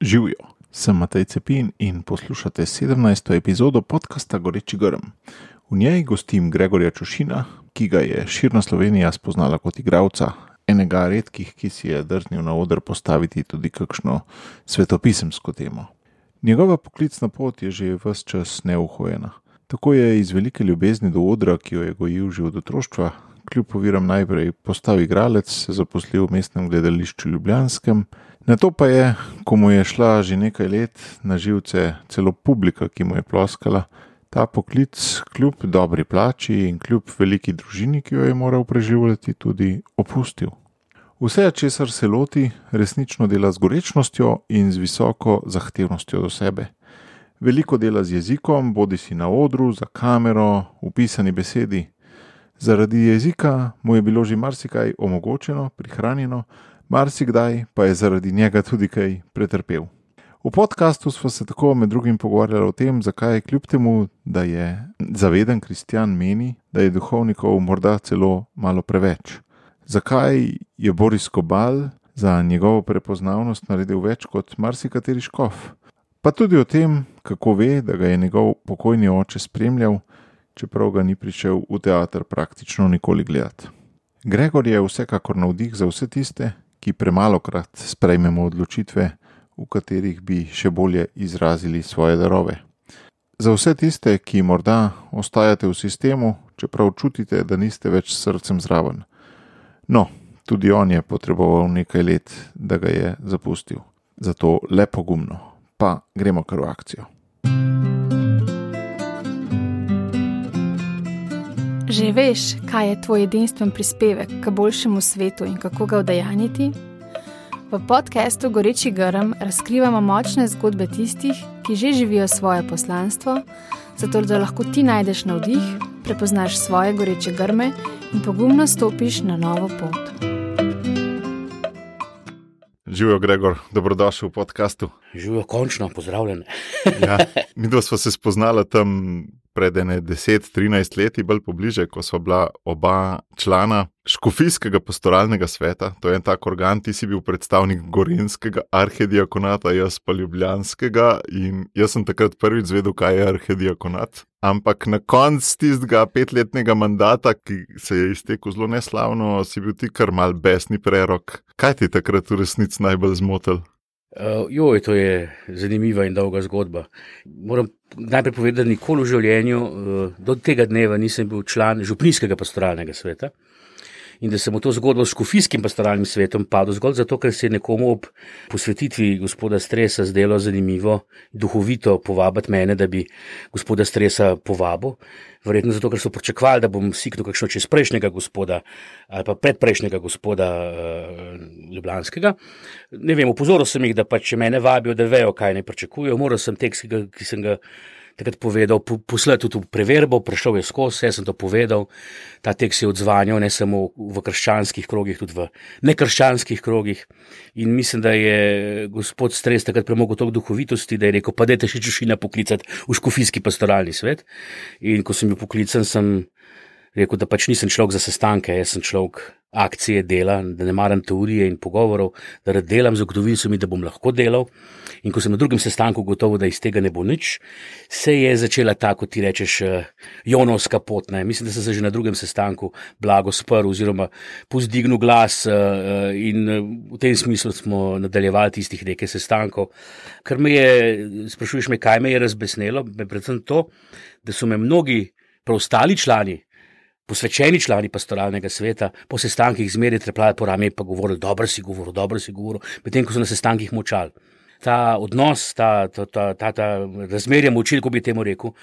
Živijo, sem Matej Cepin in poslušate 17. epizodo podcasta Goreči grm. V njej gostim Gregorja Čušina, ki ga je širna Slovenija spoznala kot igralca, enega redkih, ki si je drznil na oder postaviti tudi kakšno svetopisemsko temo. Njegova poklicna pot je že ves čas neuhojena. Tako je iz velike ljubezni do odra, ki jo je gojil že od otroštva, kljub oviram najprej postal igralec, se zaposlil v mestnem gledališču ljubljanskem, nato pa je, ko mu je šla že nekaj let na živce celo publika, ki mu je ploskala, ta poklic kljub dobri plači in kljub veliki družini, ki jo je moral preživljati, tudi opustil. Vse, česar se loti, resnično dela z gorečnostjo in z visoko zahtevnostjo do sebe. Veliko dela z jezikom, bodisi na odru, za kamero, v pisani besedi. Zaradi jezika mu je bilo že marsikaj omogočeno, prihranjeno, marsikdaj pa je zaradi njega tudi kaj pretrpel. V podcastu smo se tako med drugim pogovarjali o tem, zakaj kljub temu, da je zaveden kristjan, meni, da je duhovnikov morda celo malo preveč. Zakaj je Boris Kobal za njegovo prepoznavnost naredil več kot marsikateri škof. Pa tudi o tem, kako ve, da ga je njegov pokojni oče spremljal, čeprav ga ni prišel v teater praktično nikoli gledati. Gregor je vsekakor navdih za vse tiste, ki premalokrat sprejmemo odločitve, v katerih bi še bolje izrazili svoje darove. Za vse tiste, ki morda ostajate v sistemu, čeprav čutite, da niste več s srcem zraven. No, tudi on je potreboval nekaj let, da ga je zapustil. Zato le pogumno. Pa gremo kar v akcijo. Že veš, kaj je tvoj edinstven prispevek k boljšemu svetu in kako ga udejanjiti? V podcastu Goreči grm razkrivamo močne zgodbe tistih, ki že živijo svoje poslanstvo, zato da lahko ti najdeš navdih, prepoznaš svoje goreče grme in pogumno stopiš na novo pot. Živijo, Gregor, dobrodošel v podcastu. Živijo, končno, pozdravljene. Ja, midva sva se spoznala tam pred 10-13 leti, bolj pobliže, ko sva bila oba člana škofijskega pastoralnega sveta. To je en tak organ, ti si bil predstavnik gorenjskega arhediakonata, jaz pa ljubljanskega, in jaz sem takrat prvič zvedel, kaj je arhediakonat. Ampak na koncu tistega 5-letnega mandata, ki se je iztekel zelo neslavno, si bil ti kar mal besni prerok. Kaj ti takrat v resnici najbolj zmotil? To je zanimiva in dolga zgodba. Moram najprej povedati, da nikoli v življenju do tega dneva nisem bil član župnijskega pastoralnega sveta in da sem v to zgodbo s škofijskim pastoralnim svetom padel zgolj zato, ker se je nekomu ob posvetitvi gospoda Stresa zdelo zanimivo, duhovito povabiti mene, da bi gospoda Stresa povabil. Verjetno zato, ker so pričakovali, da bom siknil kakšno čez prejšnjega gospoda ali pa predprejšnjega gospoda ljubljanskega. Ne vem, opozoril sem jih, da pač mene vabijo, da vejo, kaj ne pričakujejo. Moral sem tekst, ki sem ga takrat povedal, poslati tudi v preverbo, prišel je skozi, jaz sem to povedal. Ta tekst je odzvanjal ne samo v krščanskih krogih, tudi v nekrščanskih krogih. In mislim, da je gospod Stres takrat premogel toliko duhovitosti, da je rekel, pa dajte še Čušina poklicati v škofijski pastoralni svet. In ko sem bil poklican, sem rekel, da pač nisem človek za sestanke, jaz sem človek akcije, dela, da ne maram teorije in pogovorov, da rad delam, zagotovili so mi, da bom lahko delal. In ko sem na drugem sestanku gotovo, da iz tega ne bo nič, se je začela ta, kot ti rečeš, jonovska pot. Ne. Mislim, da sem se že na drugem sestanku blago sprl oziroma povzdignil glas in v tem smislu smo nadaljevali tistih nekaj sestankov. Kar sprašuješ me, kaj me je razbesnelo, predvsem to, da so me mnogi preostali člani, posvečeni člani pastoralnega sveta, po sestankih zmeraj trepljali po rami pa govorili, dobro si govoril, medtem ko so na sestankih molčali. Ta odnos, ta razmerja moči, ko bi temu rekel,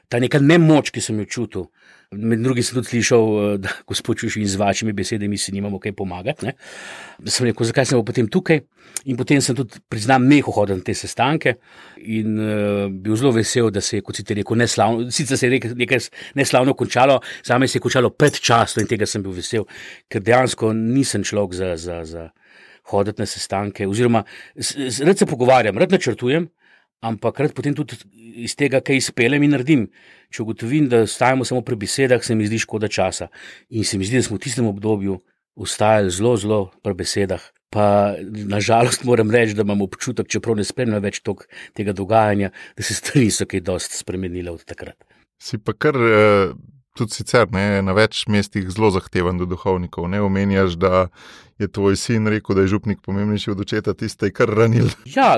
ta neka nemoč, ki sem jo čutil. Med drugim sem tudi slišal, da gospod Čušin z vašimi besedami si nimamo kaj pomagati. Ne? Sem rekel, zakaj sem potem tukaj? In potem sem tudi, priznam, nehal hoditi na te sestanke in bil zelo vesel, da se je, kot si ti rekel, neslavno, sicer se je nekaj neslavno končalo, zame se je končalo predčasno in tega sem bil vesel, ker dejansko nisem človek za hoditi na sestanke, oziroma rad se pogovarjam, rad načrtujem, ampak rad potem tudi iz tega, kaj izpeljem in naredim. Če ugotovim, da ostajamo samo pri besedah, se mi zdi škoda časa. In se mi zdi, da smo v tistem obdobju ostajali zelo pri besedah, Pa nažalost moram reči, da imam občutek, čeprav ne spremljam več tega dogajanja, da se stvari so kaj dosti spremenile od takrat. Si pa kar tudi sicer na več mestih zelo zahteven do duhovnikov. Ne omenjaš, da je tvoj sin rekel, da je župnik pomembnejši od očeta, tiste je kar ranil. Ja,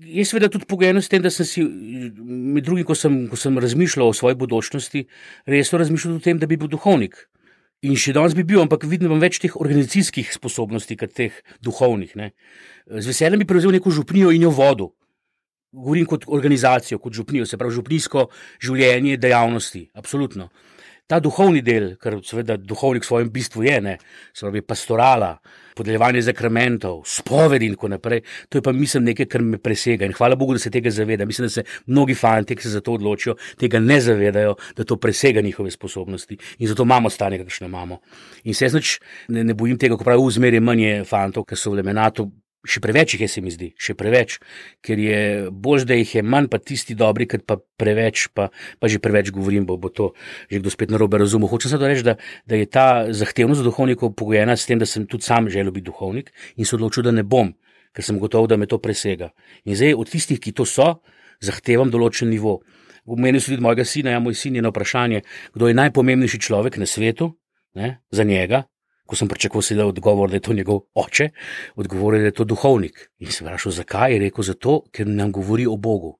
je seveda tudi pogojeno s tem, da sem si med drugim, ko sem razmišljal o svoji bodočnosti, resno razmišljal o tem, da bi bil duhovnik. In še danes bi bil, ampak vidim več teh organizacijskih sposobnosti, kot teh duhovnih. Ne. Z veseljem bi prevzel neko župnijo in jo vodil. Govorim kot organizacijo, kot župnijo, se pravi župnijsko življenje, dejavnosti, absolutno. Ta duhovni del, kar seveda duhovnik v svojem bistvu je, se pravi pastorala, podeljevanje zakramentov, spovedi in tako naprej, to je pa mislim nekaj, kar me presega in hvala Bogu, da se tega zaveda. Mislim, da se mnogi fanti, ki se za to odločijo, tega ne zavedajo, da to presega njihove sposobnosti in zato imamo stanje, kakšne imamo. In se jaz ne bojim tega, ko pravi zmeraj manje fantov, ki so v Lemenatu. Še preveč jih je, se mi zdi, še preveč, ker je bolj, da jih je manj, pa tisti dobri, ker pa preveč, pa že preveč govorim, bo to že kdo spet narobe razumel. Hočem samo reči, da je ta zahtevnost duhovnikov pogojena s tem, da sem tudi sam želel biti duhovnik in se odločil, da ne bom, ker sem gotov, da me to presega. In zdaj od tistih, ki to so, zahtevam določen nivo. V meni so tudi mojega sina, moj sin je na vprašanje, kdo je najpomembnejši človek na svetu, za njega. Ko sem pričakoval seveda odgovor, da je to njegov oče, odgovor je, da je to duhovnik. In sem vprašal, zakaj? Je rekel, zato, ker nam govori o Bogu.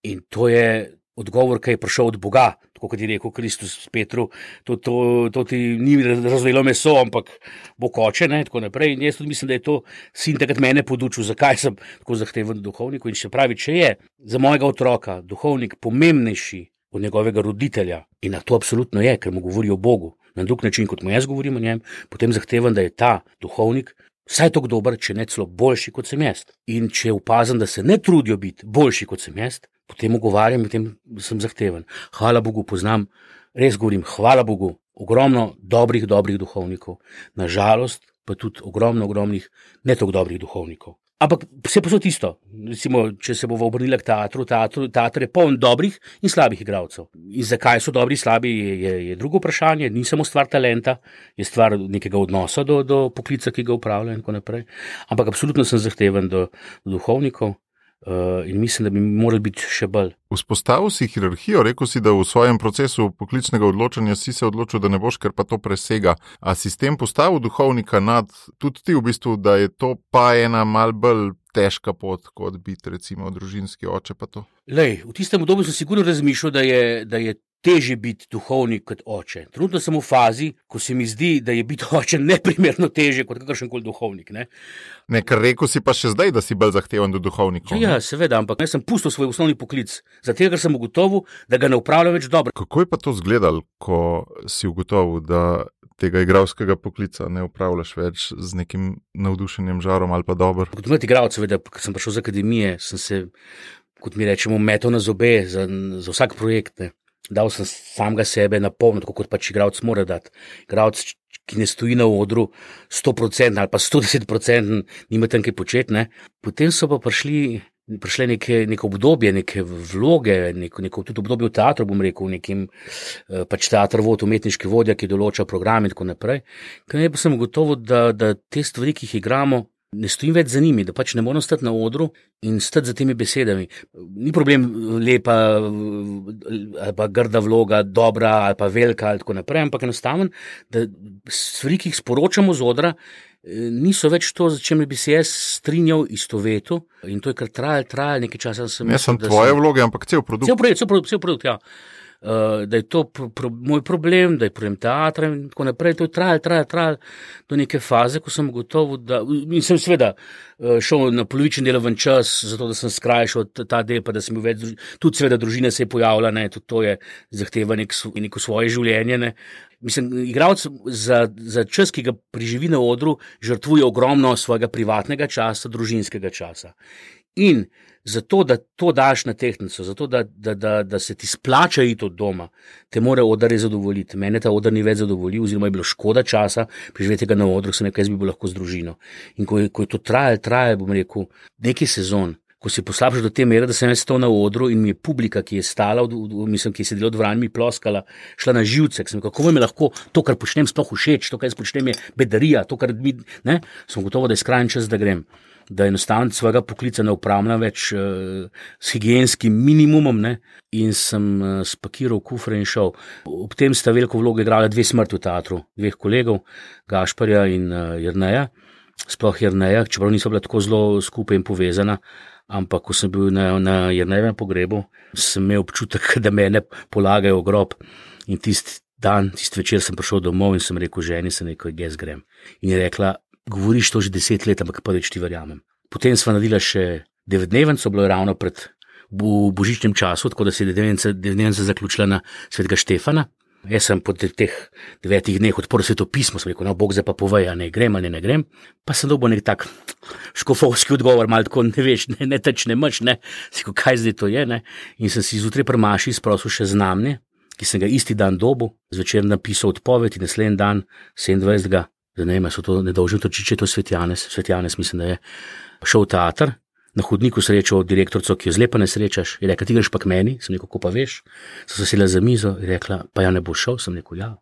In to je odgovor, ki je prišel od Boga, tako kot je rekel Kristus Petru, to ti ni razvelo meso, ampak Bog oče, tako naprej. In jaz tudi mislim, da je to sin takrat mene podučil, zakaj sem tako zahteven duhovniku. In še pravi, če je za mojega otroka duhovnik pomembnejši od njegovega roditelja, in na to absolutno je, ker mu govori o Bogu, na drug način, kot mu jaz govorim o njem, potem zahtevam, da je ta duhovnik vsaj tako dober, če ne celo boljši, kot sem jaz. In če opazim, da se ne trudijo biti boljši, kot sem jaz, potem ugovarjam in potem sem zahteven. Hvala Bogu, poznam, res govorim, hvala Bogu, ogromno dobrih duhovnikov, nažalost pa tudi ogromnih ne tako dobrih duhovnikov. Ampak vse posod isto. Recimo, če se bova obrnila k teatr je poln dobrih in slabih igralcev. In zakaj so dobri in slabi, je drugo vprašanje. Ni samo stvar talenta, je stvar nekega odnosa do poklica, ki ga upravlja in tako naprej. Ampak absolutno sem zahteven do duhovnikov in mislim, da bi morali biti še bolj. Vzpostavil si hierarhijo, rekel si, da v svojem procesu poklicnega odločanja si se odločil, da ne boš, ker pa to presega. A si s tem postavil duhovnika nad tudi ti v bistvu, da je to pa ena mal bolj težka pot, kot biti recimo družinski oče pa to? Lej, v tistem obdobju sem sigurno razmišljal, da je težje biti duhovnik kot oče. Trenutno sem v fazi, ko se mi zdi, da je biti oče neprimerno težje kot kakršenkoli duhovnik. Ne, ker rekel si pa še zdaj, da si bolj zahteven do duhovnikov. Ja, seveda, ampak jaz sem pustil svoj osnovni poklic, zato ker sem ugotovil, da ga ne upravljam več dobro. Kako je pa to izgledalo, ko si ugotovil, da tega igralskega poklica ne upravljaš več z nekim navdušenjem, žarom ali pa dobro? Kot mlad igralec, seveda, ko sem prišel z akademije, sem se, kot mi rečemo, metal na zobe za vsak projekt. Dal sem samega sebe na polno, tako kot pač igralec mora dati. Igralec, ki ne stoji na odru 100% ali pa 110%, nima tam kaj početi. Potem so pa prišle neko obdobje, neke vloge, neko tudi obdobje v teatru, bom rekel, nekim pač teatr vod, umetniški vodja, ki določa program in tako naprej. Kaj pa sem ugotovil, da te stvari, ki jih igramo, ne stojim več za njimi, da pač ne moram stati na odru in stati za temi besedami. Ni problem lepa ali pa grda vloga, dobra ali pa velika ali tako naprej, ampak enostavno, da stvari, ki jih sporočamo z odra, niso več to, za čem bi se jaz strinjal istovetu in to je kar trajalo nekaj časa. Ne sem tvoje vloge, ampak cel produkt. Cel produkt, ja. Da je to moj problem, da je problem teatra in tako naprej. To je trajalo do neke faze, ko sem ugotovil, in sem seveda šel na polovičen delovni čas, zato da sem skrajšal ta del, pa da sem bil več, tudi seveda družina se je pojavila, tudi to je zahteva neko svoje življenje. Mislim, igralec za čas, ki ga preživi na odru, žrtvuje ogromno svojega privatnega časa, družinskega časa. In zato, da to daš na tehtnico, zato, da se ti splača iti od doma, te mora oder zadovoljiti. Mene ta oder ni več zadovoljil, oziroma je bilo škoda časa preživetega na odru, sem nekaj, jaz bi bil lahko z družino. In ko je to trajalo, bom rekel, nekaj sezon, ko si poslabšal do te mere, da sem jaz stal na odru in mi je publika, ki je stala, ki je sedela od vrani, mi ploskala, šla na živce. Kako vam je lahko to, kar počnem, sploh všeč, to, kar jaz počnem, je bedarija, to, kar mi, ne, sem gotovo, da je skrajni čas, da grem. Da enostavno svojega poklica ne upravljam več s higienskim minimumom, ne? In sem spakiral kufre in šel. Ob tem sta veliko vlogo igrala 2 smrti v teatru, 2 kolegov, Gašparja in Jerneja. Sploh Jerneja, čeprav niso bila tako zelo skupaj in povezana, ampak ko sem bil na Jernejevem pogrebu, sem imel občutek, da mene polagajo v grob. In tisti večer sem prišel domov in sem rekel ženi, sem rekel, jaz grem. In je rekla, govoriš to že 10 let, ampak prvič ti verjamem. Potem sva naredila še 9-dnevenco, bilo je ravno pred božičnem času, tako da se je 9-dnevenca zaključila na Svetega Štefana. Jaz sem po teh 9 dneh odprl svetopismo, sem rekel, no, Bog zdaj pa povej, ne grem ali ne grem. Pa sem dobil nek tak škofovski odgovor, malo tako, ne veš, ne teč, ne mrč, ne. Si rekel, kaj zdaj to je, ne. In sem si zjutraj pri maši sprosil še znamje, ki sem ga isti dan dobil, zvečer napisal odpoved in naslednji dan, 27. Zanima so to nedolžni točiče, to je Svetjanez, mislim, da je šel v teater, na hodniku srečal direktorico, ki jo zlepa ne srečaš, je rekla, ti greš pa k meni, sem rekel, ko pa veš, so se sedela za mizo, je rekla, pa ja ne bo šel, sem rekel, ja.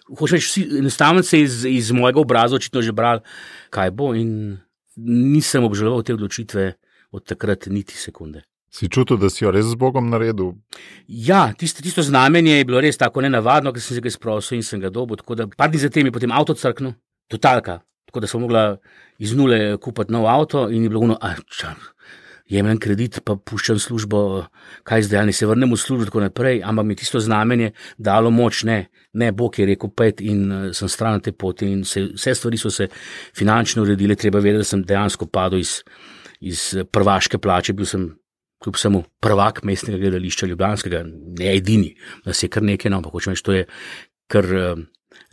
Hoče reči, enostavno se iz mojega obraza očitno že bral, kaj bo in nisem obžaloval te odločitve od takrat niti sekunde. Si čutil, da si jo res z Bogom naredil? Ja, tisto znamenje je bilo res tako nenavadno, ker sem se ga izprosil in sem ga dobil, tako da par dni zatem je potem avto crknil, totalka, tako da sem mogla iz nule kupiti nov avto in je bilo jemljem kredit, pa puščam službo, kaj zdaj, ali se vrnem v službo, tako naprej, ampak mi tisto znamenje dalo moč, ne, Bog je rekel 5 in sem stran na te poti in vse stvari so se finančno uredile, treba vedeti, da sem dejansko padel iz prvaške plače, bil sem kljub samo prvak mestnega gledališča ljubljanskega, ne edini, nas je kar nekaj, no, ampak hočem reči, to je kar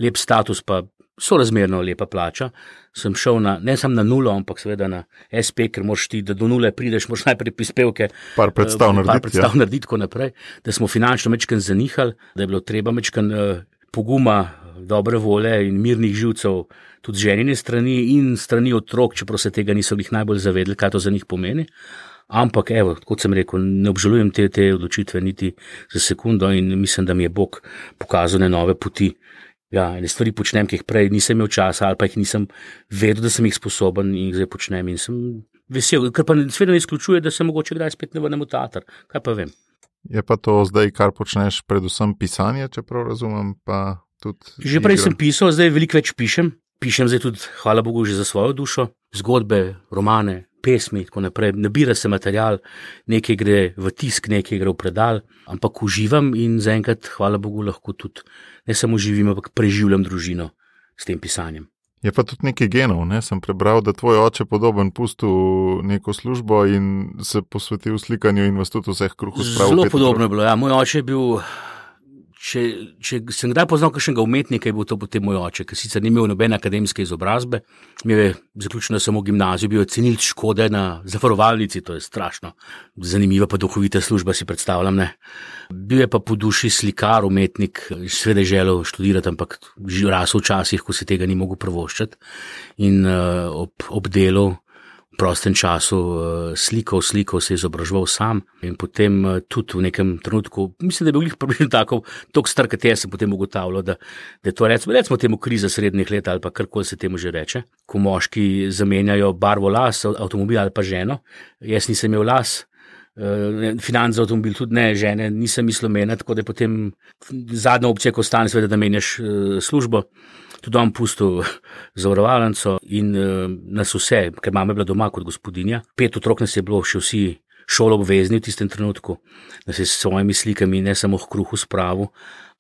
lep status, pa sorazmerno lepa plača, sem šel ne samo na nulo, ampak seveda na SP, ker moraš ti, da do nule prideš, moraš najprej prispevke, par predstav narediti, tako naprej, da smo finančno mečken zanihali, da je bilo treba mečken poguma, dobre vole in mirnih živcev, tudi ženine strani in strani otrok, čeprav se tega niso jih najbolj zavedli, kaj to za njih pomeni. Ampak, evo, kot sem rekel, ne obžalujem te odločitve niti za sekundo in mislim, da mi je Bog pokazal nove poti. Ja, ene stvari počnem, ki jih prej nisem imel časa ali pa jih nisem vedel, da sem jih sposoben in jih zdaj počnem in sem vesel, ker pa seveda ne izključuje, da se mogoče kdaj spet ne vrnem v teater, kaj pa vem. Je pa to zdaj, kar počneš, predvsem pisanje, čeprav razumem, pa tudi že prej sem pisal, zdaj veliko več pišem zdaj tudi, hvala Bogu, že za svojo dušo, zgodbe, romane, pesmi, tako naprej, nabira se material, nekaj gre v tisk, nekaj gre v predal, ampak uživam in zaenkrat, hvala Bogu, lahko tudi ne samo živim, ampak preživljam družino s tem pisanjem. Je pa tudi nekaj genov, ne? Sem prebral, da tvoj oče podoben pustil neko službo in se posvetil slikanju in vas tudi vseh kruhov spravil. Zelo podobno je bilo, ja. Moj oče je bil, če sem kdaj poznal kakšnega umetnika, je bil to potem moj oče, ker sicer ni imel nobene akademske izobrazbe, imel je zaključeno samo gimnazijo, bil je cenilec škode na zavarovalnici, to je strašno zanimiva pa duhovita služba, si predstavljam, ne. Bil je pa po duši slikar, umetnik, seveda je želel študirati, ampak rasel v časih, ko se tega ni mogel privoščiti in ob delu v prostem času slikal, se je izobraževal sam in potem tudi v nekem trenutku, mislim, da je bil glih približno tako star, kot jaz sem potem ugotavljal, da je to recimo temu kriza srednjih let ali pa karkoli se temu že reče, ko moški zamenjajo barvo las, avtomobil ali pa ženo. Jaz nisem imel las, financ za avtomobil tudi ne, žene nisem mislil menjati, tako da je potem zadnja opcija, ko ostane seveda, da menjaš službo. Tudi on pustil zavarovalnico in nas vse, ker mama je bila doma kot gospodinja, 5 otrok nas je bilo še vsi šolo obvezni v tistem trenutku, da se s svojimi slikami ne samo v kruhu spravil,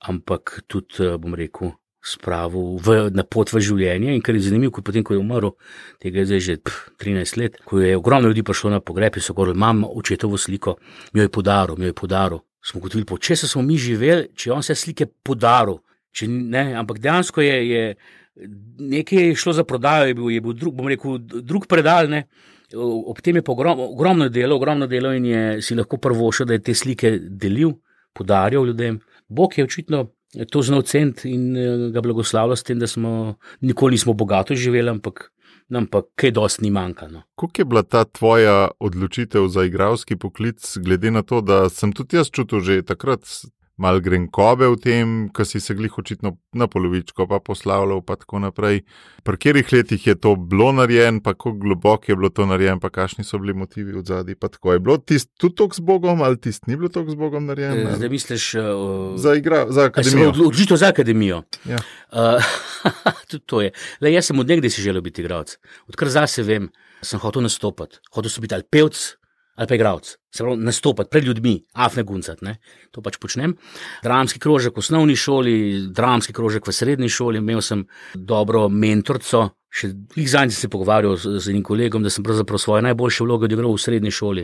ampak tudi, bom rekel, spravil na pot v življenje in kar je zanimivo, potem, ko je umrl, tega je zdaj že 13 let, ko je ogromno ljudi prišlo na pogreb in so govorili, imam očetovo sliko, mi jo je podaril. Smo gotovili, po česa smo mi živeli, če on se slike podaril. Ampak dejansko je nekaj šlo za prodajo, je bil drug predal, ne. Ob tem je pa ogromno delo in si lahko prvošel, da je te slike delil, podarjal ljudem. Bog je očitno to znal ceniti in ga blagoslavljal s tem, da nikoli nismo bogato živeli, ampak ampak kaj dosti ni manjka. No. Kako je bila ta tvoja odločitev za igralski poklic, glede na to, da sem tudi jaz čutil že takrat malo grenkobe v tem, ko si se glih očitno na polovičko pa poslavljal pa tako naprej. Pri katerih letih je to bilo narejen, pa kako globoko je bilo to narejen, pa kakšni so bili motivi v zadnji, pa tako je bilo tist tudi toliko z Bogom ali tist ni bilo toliko z Bogom narejen? Zdaj misliš... Za akademijo. Odločitev za akademijo. Ja. Tudi to je. Le, jaz sem od nekdaj si želel biti igralec. Odkar zase vem, sem hotel nastopati. Hotel sem biti ali pevc, ali pa igralec. Se pravi, nastopati pred ljudmi, afne guncat, ne. To pač počnem. Dramski krožek v osnovni šoli, dramski krožek v srednji šoli, imel sem dobro mentorco, še zadnjič sem se pogovarjal z enim kolegom, da sem pravzaprav svoje najboljše vloge odigral v srednji šoli.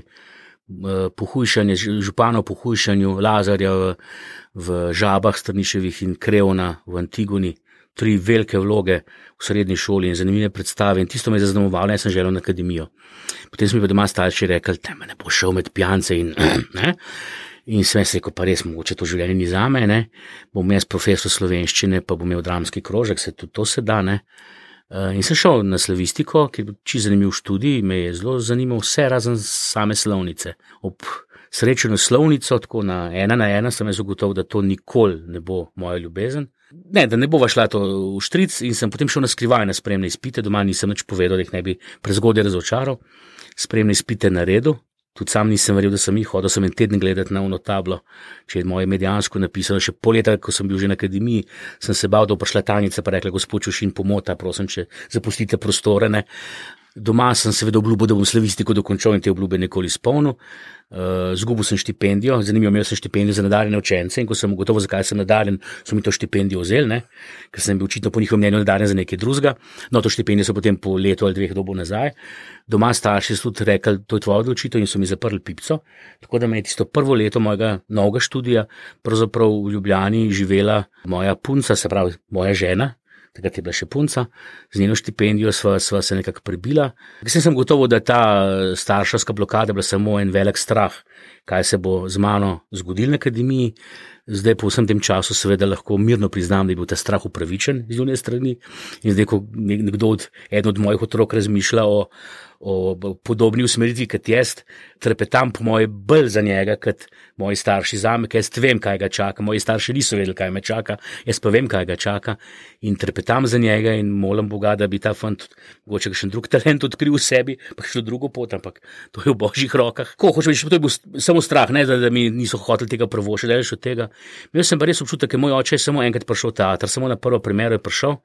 Pohujšanje, župana v pohujšanju, Lazarja v Žabah, Strniševih in Krevna v Antigoni. 3 velike vloge v srednji šoli in zanimive predstave in tisto me je zaznamovalo, jaz sem želel na akademijo. Potem so mi pa doma starši rekli, me ne bo šel med pijance in ne. In sem jaz rekel, pa res mogoče to življenje ni zame, ne. Bom jaz profesor slovenščine, pa bom imel dramski krožek, se tudi to se da, ne. In sem šel na slavistiko, ki je bil čisto zanimiv študij, me je zelo zanimal vse razen same slovnice. Ob srečanju slovnico, tako na 1:1 sem jaz ugotovil, da to nikoli ne bo moja ljubezen. Ne, da ne bova šla to v štric in sem potem šel na skrivaj na spremne izpite, doma nisem nič povedal, da jih ne bi prezgodaj razočaral. Spremne izpite naredil, tudi sam nisem verjel, da sem jih hodil, sem en teden gledati na ono tablo, če je moje medijansko napisano, še pol leta, ko sem bil že na akademiji, sem se bal, da bo prišla tajnica pa rekla, gospod Čušin, pomota, prosim, če zapustite prostore, ne. Doma sem seveda obljubil, da bom slavistiko dokončal in te obljube nikoli izpolnil. Zgubil sem štipendijo, zanimivo, imel sem štipendijo za nadarjene učence in ko sem ugotovil, zakaj sem nadarjen, so mi to štipendijo vzeli, ne, ker sem bil očitno po njihovem mnenju nadarjen za nekaj drugega. No, to štipendijo so potem po letu ali 2 dobil nazaj. Doma starši so tudi rekli, to je tvoja odločitev in so mi zaprli pipco, tako da me je tisto prvo leto mojega novega študija pravzaprav v Ljubljani živela moja punca, se pravi moja žena. Takrat je bila še punca, z njeno štipendijo sva se nekako prebila. Kasneje sem gotovo, da ta starševska blokada bila samo en velik strah, kaj se bo z mano zgodilo na akademiji. Zdaj po vsem tem času seveda lahko mirno priznam, da je bil ta strah upravičen z njune strani. In zdaj, ko eden od mojih otrok razmišlja o podobni usmeritvi kot jaz, trepetam po moje bolj za njega, kot moji starši zame, ker jaz vem, kaj ga čaka. Moji starši niso vedeli, kaj me čaka, jaz pa vem, kaj ga čaka in trepetam za njega in molim Boga, da bi ta fant mogoče kakšen drug talent odkril v sebi, pa še drugo pot, ampak to je v božjih rokah. Ko hočem reči, to je bil samo strah, ne, da mi niso hoteli tega prvošiti, daleč od tega. Jaz sem pa res občutek, ker moj oče je samo enkrat prišel v teater, samo na prvo premiero je prišel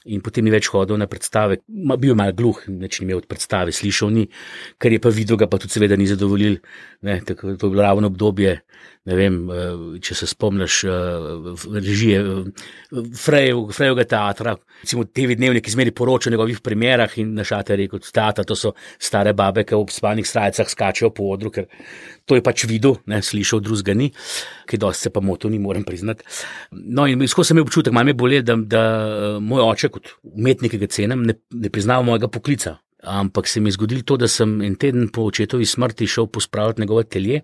in potem ni več hodil na predstave. Bil je malo gluh, nič ni imel od predstave, slišal ni, ker je pa videl, ga pa tudi seveda ni zadovoljil. Ne, tako, to je bilo ravno obdobje, ne vem, če se spomniš režije Frejevega teatra, recimo TV Dnevnik izmeri poroča o njegovih primerah in na šate je rekel, tata, to so stare babe, ki v spalnih srajcah skačejo po odru, ker to je pač videl, ne, slišal, drugega ni, ki dosti se pa motil, ni moram priznati. No in skozi sem imel občutek, malo me boli, da moj oče kot umetnik, ki ga cenim, ne priznava mojega poklica. Ampak se mi je zgodilo to, da sem en teden po očetovi smrti šel pospravljati njegov atelje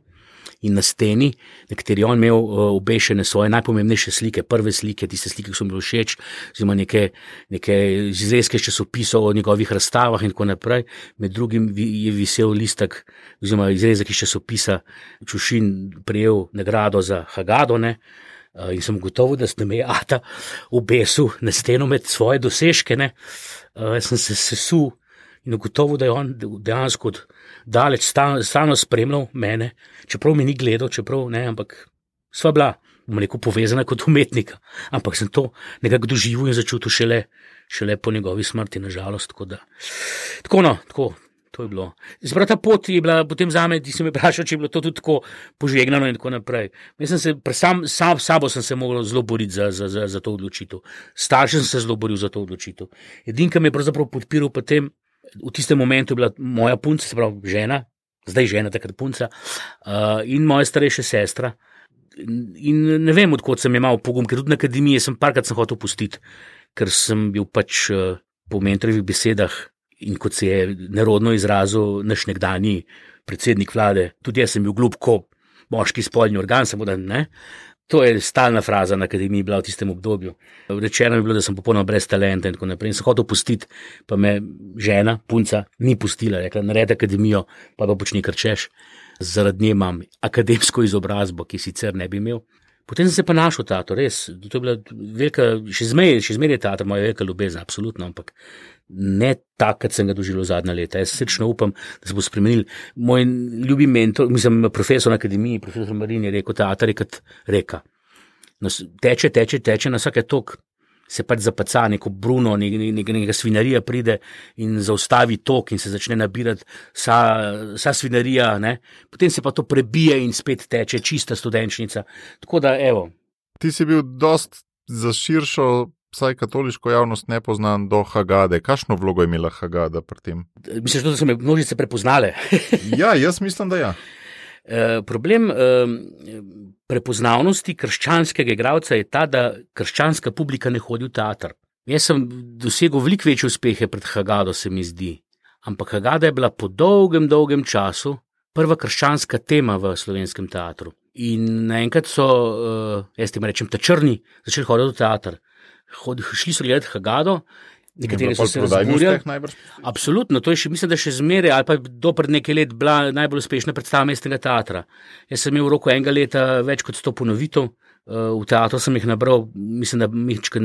in na steni, na kateri on imel obešene svoje najpomembnejše slike, prve slike, tiste slike, ki so mi bile všeč, oziroma neke izrezke časopisov o njegovih razstavah in tako naprej. Med drugim je visel listek, oziroma izrezek iz časopisa Čušin prejel nagrado za Hagado, ne. In sem gotovo, da me je ata obesil na steno med svoje dosežke, ne. Jaz sem se sesul in ugotovil, da je on dejansko daleč stalno spremljal mene, čeprav me ni gledal, ampak sva bila, bom rekel, povezana kot umetnika, ampak sem to nekako doživel in začutil šele po njegovi smrti, nažalost, tako, to je bilo. Zdaj, ta pot je bila potem zame, ti si me vprašal, če je bilo to tudi tako požegnano in tako naprej. Jaz sem se, sam sabo sem se mogel zelo boriti za to odločitev. Starši sem se zelo boril za to odločitev. Edinka me je pravzaprav podpiral potem, v tistem momentu je bila moja punca, se pravi žena, zdaj žena, takrat punca, in moja starejša sestra. In ne vem, odkot sem imel pogum, ker tudi na akademiji sem parkrat hotel pustiti, ker sem bil pač po mentorovih besedah in kot se je nerodno izrazil naš nekdanji predsednik vlade, tudi jaz sem bil glup kot moški spolni organ, samo da ne. To je stalna fraza na akademiji bila v tistem obdobju. Rečeno je bilo, da sem popolnoma brez talenta in tako naprej. In sem hotel pustiti, pa me žena, punca, ni pustila. Rekla, naredi akademijo, pa počni, kar češ. Zaradi nje imam akademsko izobrazbo, ki sicer ne bi imel. Potem sem se pa našel v teatru, res. To je bila velika, še zmeraj je teater moja velika ljubezen, absolutno, ampak ne tak, kot sem ga doživel zadnja leta. Jaz srečno upam, da se bo spremenil. Moj ljubi mentor, mislim, profesor na akademiji, profesor Marin je rekel, teater je kot reka. Teče, na vsake tok se pač zapaca, neko bruno, neka svinarija pride in zaustavi tok in se začne nabirati vsa svinarija, ne. Potem se pa to prebije in spet teče čista studenčnica. Tako da, evo. Ti si bil dost za širšo, vsaj katoliško javnost nepoznan do Hagade. Kakšno vlogo je imela Hagada pri tem? Misliš, da so me množice prepoznale? Ja, jaz mislim, da ja. Problem prepoznavnosti krščanskega igralca je ta, da krščanska publika ne hodi v teater. Jaz sem dosegel veliko večje uspehe pred Hagado, se mi zdi. Ampak Hagada je bila po dolgem času prva krščanska tema v slovenskem teatru. In naenkrat so, jaz tem rečem, ta črni začeli hoditi v teater. Šli so gledati Hagado, nekateri so se razburjali. Absolutno, to je še, mislim, da še zmeraj, ali pa do pred nekaj let bila najbolj uspešna predstava mestnega teatra. Jaz sem imel v roku enega leta več kot 100 ponovitev, v teatru sem jih nabral, mislim, da mihčka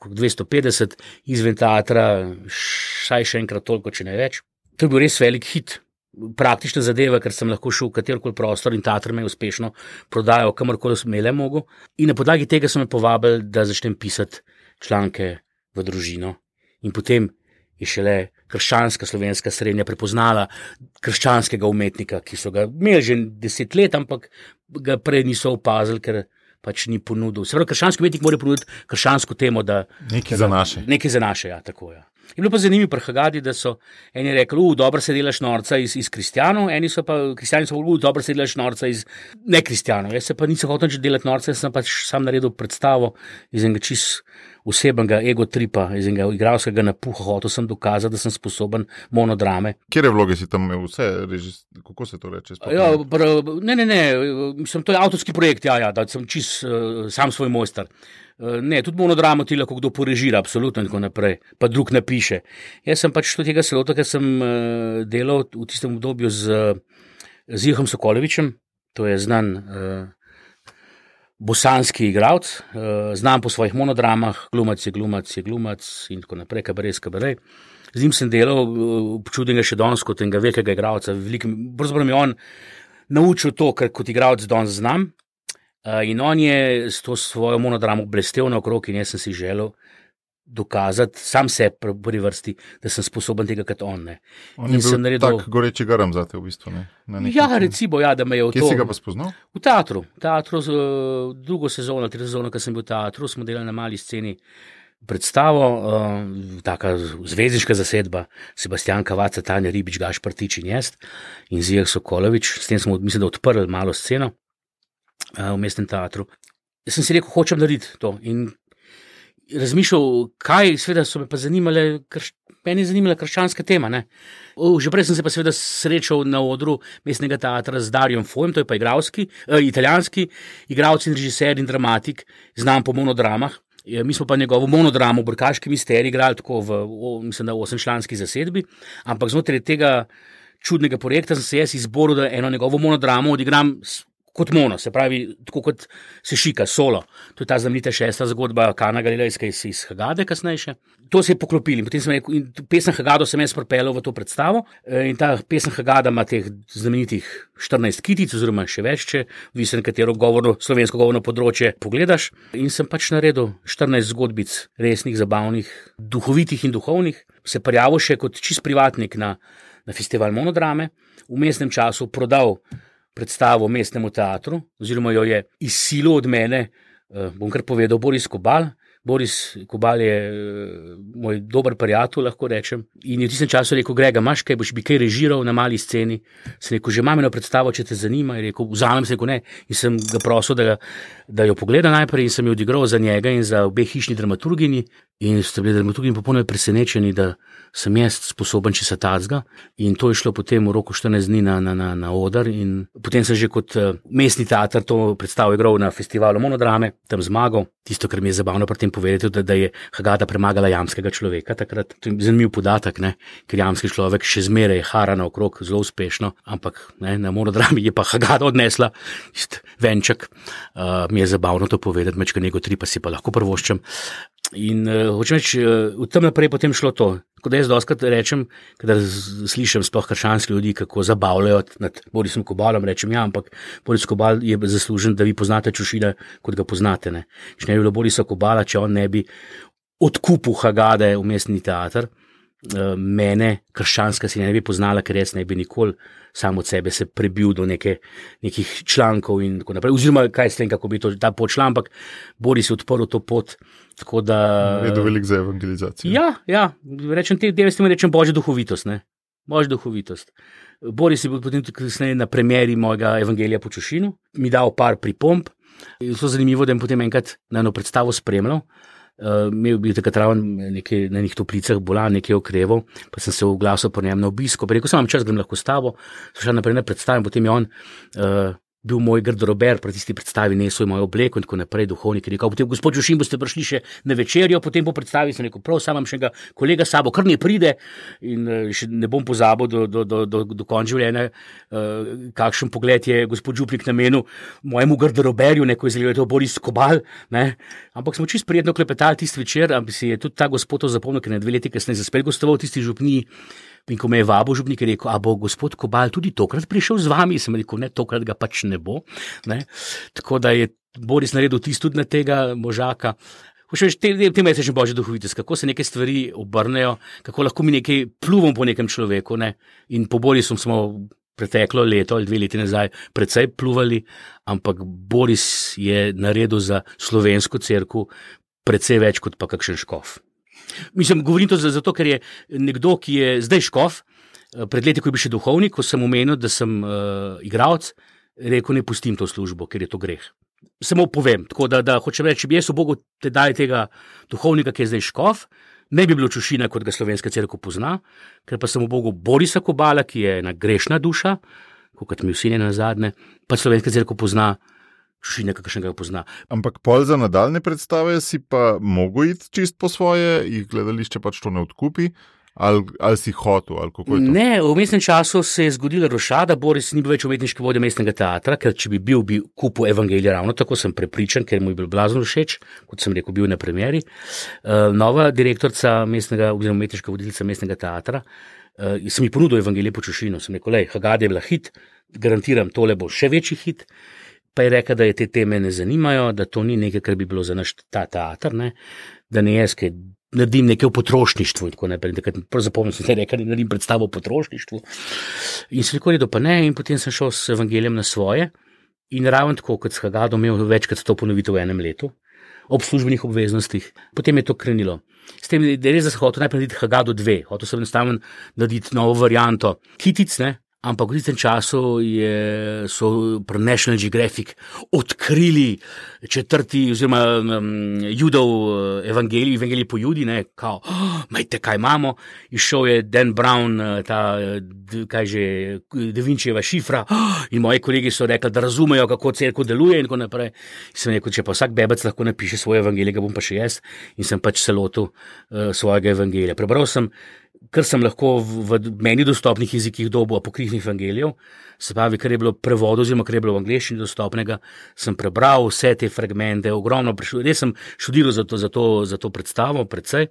250, izven teatra vsaj še enkrat toliko, če ne več. To je bil res velik hit. Praktična zadeva, ker sem lahko šel v katerikoli prostor in teater me je uspešno prodajal, kamorkoli sem le mogel. In na podlagi tega so me povabili, da začnem pisati članke v družino. In potem je šele krščanska slovenska srednja prepoznala krščanskega umetnika, ki so ga imeli že 10 let, ampak ga prej niso opazili, ker pač ni ponudil. Se pravi, krščanski umetnik mora ponuditi krščansko temo, da nekaj za naše, ja, tako ja. Je bilo pa zanimivo pri Hagadi, da so eni rekli, dobro se delaš norca iz kristjanov, kristjani so dobro se delaš norca iz nekristjanov. Jaz se pa nisem hotel delati norca, jaz sem pač sam naredil predstavo iz enega čist osebnega egotripa, iz enega igralskega napuha, hotel sem dokazati, da sem sposoben monodrame. Kjere vloge si tam imel vse, kako se to reče? Ja, ne, mislim, to je avtorski projekt, ja, da sem čist sam svoj mojster. Ne, tudi monodramo ti lahko kdo porežira, absolutno in tako naprej, pa drug napiše. Jaz sem pač tega se lotil, ker sem delal v tistem obdobju z Ihom Sokolovičem, to je znan bosanski igralec, znan po svojih monodramah, glumac je glumac in tako naprej, kabaret. Z njim sem delal, občudim ga še danes kot enega velikega igralca, pravzaprav mi on naučil to, kar kot igralec danes znam. In on je s to svojo monodramo blestev naokrog in jaz sem si želel dokazati sam sebi v prvi vrsti, da sem sposoben tega kot on. Ne. On je bil tak goreči garam zate v bistvu. Ne? Ja, recimo, ja, da me je v to... Kje si ga pa spoznal? V teatru, drugo sezono, 3. sezono, ko sem bil v teatru, smo delali na mali sceni predstavo, taka zvezdniška zasedba, Sebastian Kavaca, Tanja Ribič, Gašpar Tič in jaz in Zijah Sokolovič, s tem smo, mislim, da odprli malo sceno v mestnem teatru. Jaz sem si rekel, hočem narediti to in razmišljal, kaj, seveda so me pa zanimale, meni je zanimala krščanska tema, ne. Že prej sem se pa seveda srečal na odru mestnega teatra z Darjom Fojem, to je pa italijanski igralec in režiser in dramatik, znam po monodramah. Mi smo pa njegovo monodramo Brkaški misterij igrali tako mislim, da 8-članski zasedbi, ampak znotraj tega čudnega projekta sem se jaz izboril, da eno njegovo monodramo odigram kot mono, se pravi, tako kot se šika, solo. To je ta znamenita 6. zgodba Kana Galilejska iz Hagade kasnejše. To se je poklopili. Potem sem rekel, in pesem Hagado sem jaz pripeljal v to predstavo in ta pesem Hagada ima teh znamenitih 14 kitic, oziroma še več, če odvisno katero slovensko govorno področje pogledaš. In sem pač naredil 14 zgodbic, resnih, zabavnih, duhovitih in duhovnih. Se prijavil še kot čist privatnik na festival monodrame. V mestnem času prodal predstavo mestnemu teatru, oziroma jo je izsilil od mene, bom kar povedal, Boris Kobal, Boris Kobal je moj dober prijatelj, lahko rečem. In je v tistem času rekel: Grega, imaš kaj, boš bi kaj režiral na mali sceni? Sem rekel: že imam eno predstavo, če te zanima. Je rekel: vzamem. Sem rekel: ne. In sem ga prosil, da jo pogleda najprej, in sem jo odigral za njega in za obe hišni dramaturginji. In ste bili dramaturginji popolnoma presenečeni, da sem jaz sposoben česa tacga. In to je šlo potem v roku 14 dni na oder. In potem sem že kot mestni teater to predstavo igral na festivalu Monodrame, tam zmagal. Tisto, kar mi je zabavno pri tem povedati, da je Hagada premagala jamskega človeka takrat. To je zanimiv podatek, ne? Ker jamski človek še zmeraj hara naokrog zelo uspešno, ampak ne, na Monodrami je pa Hagada odnesla venček. Mi je zabavno to povedati, mečka nego 3 pa si pa lahko prvoščem. In hočem reči, v tem naprej potem šlo to. Tako da jaz dostakrat rečem, kadar slišim sploh krščanski ljudi, kako zabavljajo nad Borisom Kobalom, rečem: ja, ampak Boris Kobal je zaslužen, da vi poznate Čušina, kot ga poznate. Ne? Če ne bi bilo Borisa Kobala, če on ne bi odkupil Hagade v mestni teater, mene krščanska si ne bi poznala, ker jaz ne bi nikoli sam od sebe se prebil do nekih člankov in tako naprej. Oziroma, kaj s tem, kako bi to ta pot šla, ampak Boris je odprl to pot, tako da... Je to velik za evangelizacijo. Ja, rečem, te devesti mi rečem božja duhovitost, ne? Božja duhovitost. Boris je bil potem kasneje na premieri mojega Evangelija po Čušinu, mi dal par pripomb. Je to zanimivo, da je potem enkrat na eno predstavo spremljal. Imel bil takrat raven na nekih toplicah bolan, nekaj okreval, pa sem se oglasil po njem na obisko, pa rekel sem: imam čas, grem lahko s tabo. So šel naprej na predstavim, potem je on bil moj garderober pri tisti predstavi, nesel moj obleko in tako naprej, duhovnik je rekel: potem gospod Čušin, boste prišli še na večerjo, potem po predstavi. Sem rekel: prav, sam imam še enega kolega s sabo, kar ne pride. In še ne bom pozabil do konca življenja, kakšen pogled je gospod župnik namenil mojemu garderoberju, neko izgleduje to Boris Kobal, ne. Ampak smo čisto prijetno klepetali tisti večer, ampak si je tudi ta gospod to zapomnil, ker je 2 leti kasneje spet gostoval tisti župniji. In ko me je vabil župnik, je rekel: a bo gospod Kobal tudi tokrat prišel z vami? Sem rekel: ne, tokrat ga pač ne bo. Ne? Tako da je Boris naredil tisto tudi na tega možaka. Hočem reči, tema je še božja duhovitost, kako se neke stvari obrnejo, kako lahko mi nekaj pluvamo po nekem človeku. Ne? In po Borisu smo preteklo leto ali 2 leti nazaj precej pluvali, ampak Boris je naredil za slovensko cerkev precej več kot pa kakšen škof. Mislim, govorim to zato, ker je nekdo, ki je zdaj škof, pred leti, ko je bil še duhovnik, ko sem omenil, da sem igralec, rekel: ne pustim to službo, ker je to greh. Samo povem, tako da hočem reči, če bi jaz v Bogu te dali tega duhovnika, ki je zdaj škof, ne bi bilo Čušina, kot ga slovenska cerkev pozna, ker pa sem v Bogu Borisa Kobala, ki je ena grešna duša, kot mi vsi ne nazadnje, pa slovenska cerkev pozna Čušina, kakšnega ga pozna. Ampak pol za nadaljne predstave si pa mogo iti čist po svoje, jih gledališče pač to ne odkupi, ali si hotel, ali kako je to? Ne, v mestnem času se je zgodila rošada, Boris ni bil več umetniški vodja mestnega teatra, ker če bi kupil Evangelija, ravno tako sem prepričan, ker mu je bil blazno všeč, kot sem rekel, bil na premieri. Nova direktorica mestnega, oziroma umetniška voditeljica mestnega teatra, sem ji ponudil Evangelije po Čušinu, sem rekel: Hagada je bila hit, garantiram, tole bo še večji hit. Pa je rekel, da je te teme ne zanimajo, da to ni nekaj, kar bi bilo za naš ta teater, ne? Da ne jaz, kaj naredim nekaj o potrošništvu in tako naprej. Prav zapomnil sem, da je rekel, da naredim predstavo o potrošništvu. In sem rekel, da pa ne, in potem sem šel s Evangelijem na svoje in ravno tako, kot s Hagado, imel večkrat to ponovitev v enem letu, ob službenih obveznostih. Potem je to krenilo. S tem, da je res, da sem hotel najprej narediti Hagado 2, hotel sem enostavno narediti novo varianto Kitic, ne? Ampak v tistem času so pri National Geographic odkrili 4. oziroma Judov Evangelij po Judi, ne, kao, majte, kaj imamo. Izšel je Dan Brown, Da Vinčijeva šifra, in moji kolegi so rekli, da razumejo, kako cerkev deluje in tako naprej. In sem rekel, če pa vsak bebec lahko napiše svoje evangelije, ga bom pa še jaz, in sem pač se lotil svojega evangelija. Prebral sem, kar sem lahko v meni dostopnih jezikih dobil apokrifnih evangelijev, se pravi, kar je bilo prevodu, oziroma kar je bilo v angleščini dostopnega, sem prebral vse te fragmente, ogromno, res sem študiral za to predstavo, precej.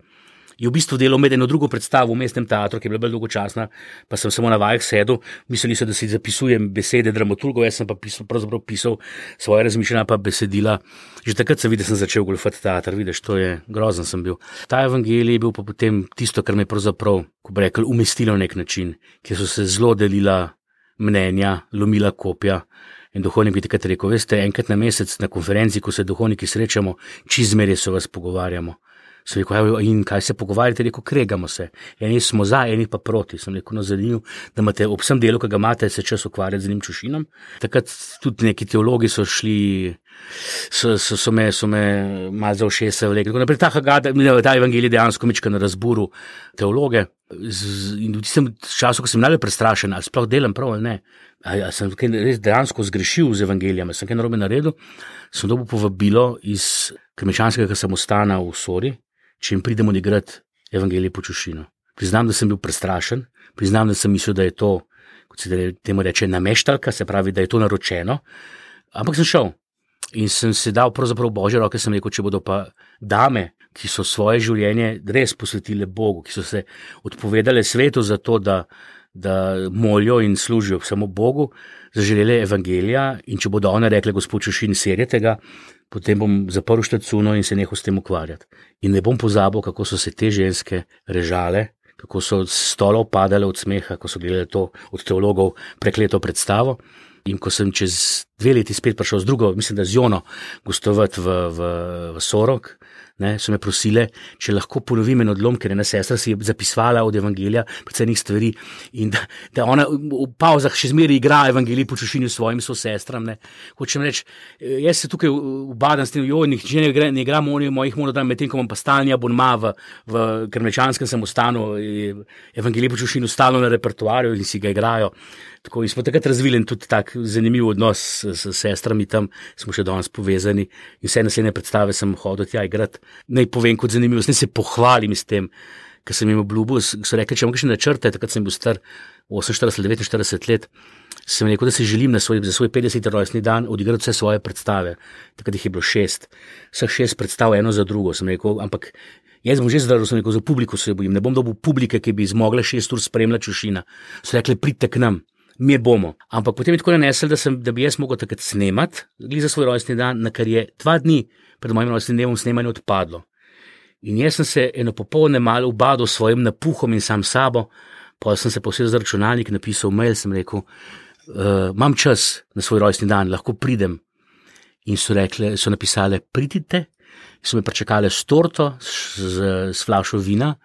Je v bistvu delal med eno drugo predstavo v mestnem teatru, ki je bila bolj dolgočasna, pa sem samo na vajah sedel, mislili so, da si zapisujem besede dramaturgov, jaz sem pa pravzaprav pisal svoje razmišljanja pa besedila. Že takrat sem videl, da sem začel goljufati teater, vidiš, to je grozen sem bil. Ta evangelij je bil pa potem tisto, kar me je pravzaprav, ko bi rekel, umestilo na nek način, kjer so se zelo delila mnenja, lomila kopja, En duhovnik bi takrat rekel, veste, enkrat na mesec na konferenci, ko se duhovniki srečamo, čizmerje se vas pogovarjamo. Sem rekel, in kaj se pogovarjate? Rekel, kregamo se. Eni smo za, eni pa proti. Sem rekel, no zanimivo, da imate ob vsem delu, ki ga imate, se čas ukvarjati z njim čušinom. Takrat tudi neki teologi so šli, so me malo za ušesa vlekli. Naprej ta evangelij dejansko mička na razburu teologe. In v tistem času, ko sem najbolj prestrašen, ali sploh delam prav ali ne, ali sem res dejansko zgrešil z evangelijem, sem kaj narobe naredil, sem dobil povabilo iz krmečanskega samostana v Sori, če jim pridem odigrati evangelij po čušinu. Priznam, da sem bil prestrašen, priznam, da sem mislil, da je to, kot se temu reče, nameštalka, se pravi, da je to naročeno, ampak sem šel in sem se dal pravzaprav v Božje roke, sem rekel, če bodo pa dame, ki so svoje življenje res posvetile Bogu, ki so se odpovedale svetu za to, da molijo in služijo samo Bogu, zaželele evangelija, in če bodo one rekle, gospod Čušin, serjete ga, potem bom zaprl štacuno in se nehal s tem ukvarjati. In ne bom pozabil, kako so se te ženske režale, kako so s stolov padale od smeha, ko so gledali to od teologov prekleto predstavo. In ko sem čez 2 leti spet prišel z drugo, mislim, da z Jono, gostovati v Sorok, so me prosile, če lahko ponovim en odlom, ker ena sestra si je zapisvala od evangelija predvsem stvari in da ona v pauzah še zmeraj igra evangelij po čušinju s svojim sestram. Hočem reči, jaz se tukaj ubadam s tem, nihče ne igra mojih monodram, medtem ko imam pa stalni abonma v krmečanskem samostanu, evangelij po čušinju stalno na repertoarju in si ga igrajo. Tako, in smo takrat razvili tudi tak zanimiv odnos s sestrami tam, smo še danes povezani in vse naslednje predstave sem hodil tja igrati. Naj povem kot zanimivo, naj se pohvalim s tem, ker sem jim obljubil, so rekli, če imam kakšne načrte, takrat sem bil star 48-49 let, sem rekel, da si želim za svoj 50. rojstni dan odigrati vse svoje predstave. Takrat jih je bilo 6, vseh 6 predstav eno za drugo, sem rekel, ampak jaz bom že zdravo, sem rekel, za publiko se bojim, ne bom dobil publike, ki bi zmogla 6 ur spremljati Čušina. So rekli, pridite k nam. Mi bomo. Ampak potem je tako nanesel, da bi jaz mogel takrat snemati za svoj rojstni dan, na kar je 2 dni pred mojim rojstnim dnevom snemanje odpadlo. In jaz sem se eno popolne malo ubadal s svojim napuhom in sam sabo, pa sem se posedel za računalnik, napisal mail, sem rekel, imam čas na svoj rojstni dan, lahko pridem. In so napisale, pridite, so me pričakale s torto, s flašo vina,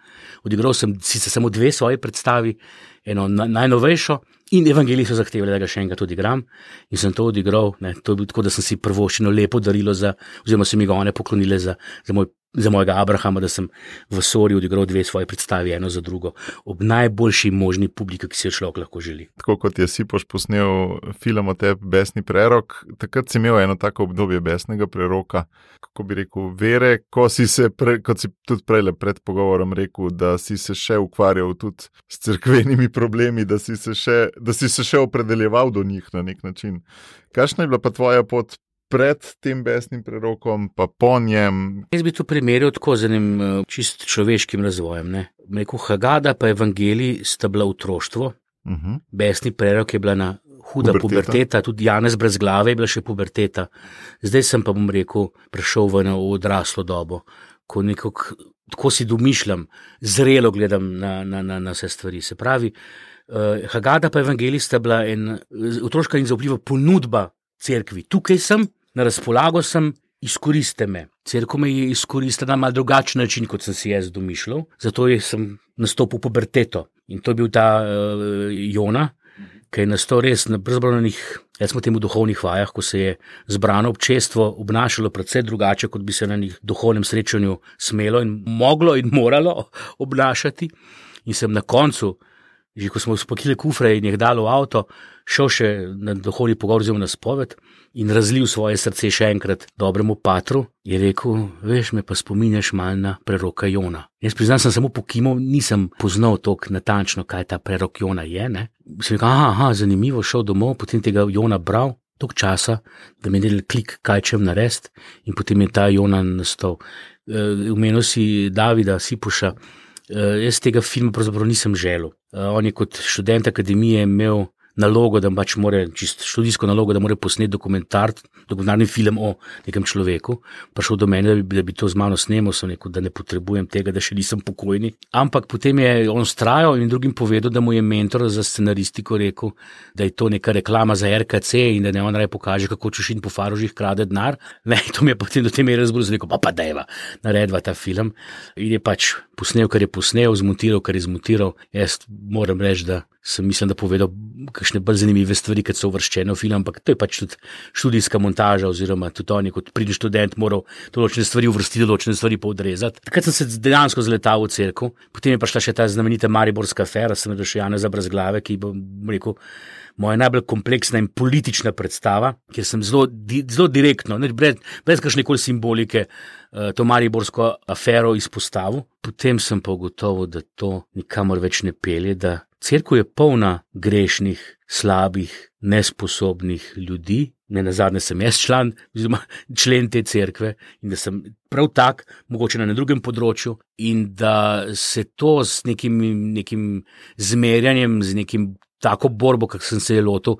odigral sem sicer samo 2 svoje predstavi, eno najnovejšo, in evangeliji so zahtevali, da ga še enkrat odigram, in sem to odigral, to je bilo tako, da sem si prvoščino lepo darilo oziroma so mi ga one poklonile za mojega Abrahama, da sem v Sori odigral 2 svoje predstavi, eno za drugo, ob najboljši možni publiki, ki si jo človek lahko želi. Tako kot je Sipoš posnel film o tebi Besni prerok, takrat si imel eno tako obdobje besnega preroka, kako bi rekel, vere, kot si tudi prej pred pogovorom rekel, da si se še ukvarjal tudi s cerkvenimi problemi, da si se še opredeljeval do njih na nek način. Kakšna je bila pa tvoja pot pred tem besnim prerokom, pa po njem? Jaz bi to primerjal tako z enim čist človeškim razvojem. Rekel, Hagada pa evangelij sta bila otroštvo, besni prerok je bila na huda puberteta, tudi Janez brez glave je bila še puberteta. Zdaj sem pa, bom rekel, prešel v odraslo dobo, ko nekako, tako si domišljam, zrelo gledam na vse stvari. Se pravi, Hagada pa evangelij sta bila otroška in zaupljiva ponudba cerkvi. Tukaj sem, na razpolago sem, izkoriste me. Cerkev me je izkoristila na malo drugačen način, kot sem si jaz domišljal, zato sem nastopil puberteto. In to je bil ta Jona, ki je nastal res na brezbranih, jaz smo temu duhovnih vajah, ko se je zbrano občestvo obnašalo predvsej drugače, kot bi se na njih duhovnem srečanju smelo in moglo in moralo obnašati. In sem na koncu, že ko smo spakili kufre in jih dali v avto, šel še na duhovni pogovor oziroma na spoved in razlil svoje srce še enkrat dobremu patru, je rekel, veš, me pa spominjaš malo na preroka Jona. Jaz priznam, sem samo pokimal, nisem poznal toliko natančno, kaj ta prerok Jona je. Sem rekel, zanimivo, šel domov, potem tega Jona bral, toliko časa, da mi je delal klik, kaj čem narediti, in potem je ta Jona nastal. Omenil si Davida Sipoša. Jaz tega filma pravzaprav nisem želel. On je kot študent akademije imel nalogo, da pač more, čisto študijsko nalogo, da mora posneti dokumentarni film o nekem človeku. Prišel do mene, da bi to z mano snemal, sem rekel, da ne potrebujem tega, da še nisem pokojni. Ampak potem je on vztrajal in drugim povedal, da mu je mentor za scenaristiko rekel, da je to neka reklama za RKC in da ne on raje pokaže, kako Čušin po Farožih krade denar. Ne, to mi je potem do te mere razbrzo rekel, pa dajva, naredva ta film. In je pač posnel, kar je posnel, zmontiral, kar je zmontiral. Jaz moram reči, da sem mislim, da povedal kakšne bolj zanimive stvari, kad so uvrščene v film, ampak to je pač tudi študijska montaža, oziroma tudi oni, kot pridni študent, moral določene stvari uvrstiti, določene stvari pa odrezati. Takrat sem se dejansko zaletal v cerkev, potem je prišla še ta znamenita mariborska afera, sem še Janeza Brezglave, ki bom rekel, moja najbolj kompleksna in politična predstava, kjer sem zelo direktno, brez kakšnekoli simbolike, to mariborsko afero izpostavil. Potem sem pa ugotovil, da to nikamor več ne pelje, da cerkev je polna grešnih, slabih, nesposobnih ljudi. Nenazadnje sem jaz člen te cerkve in da sem prav tak, mogoče na drugem področju, in da se to s nekim zmerjanjem, z nekim tako borbo, kak sem se je lotil,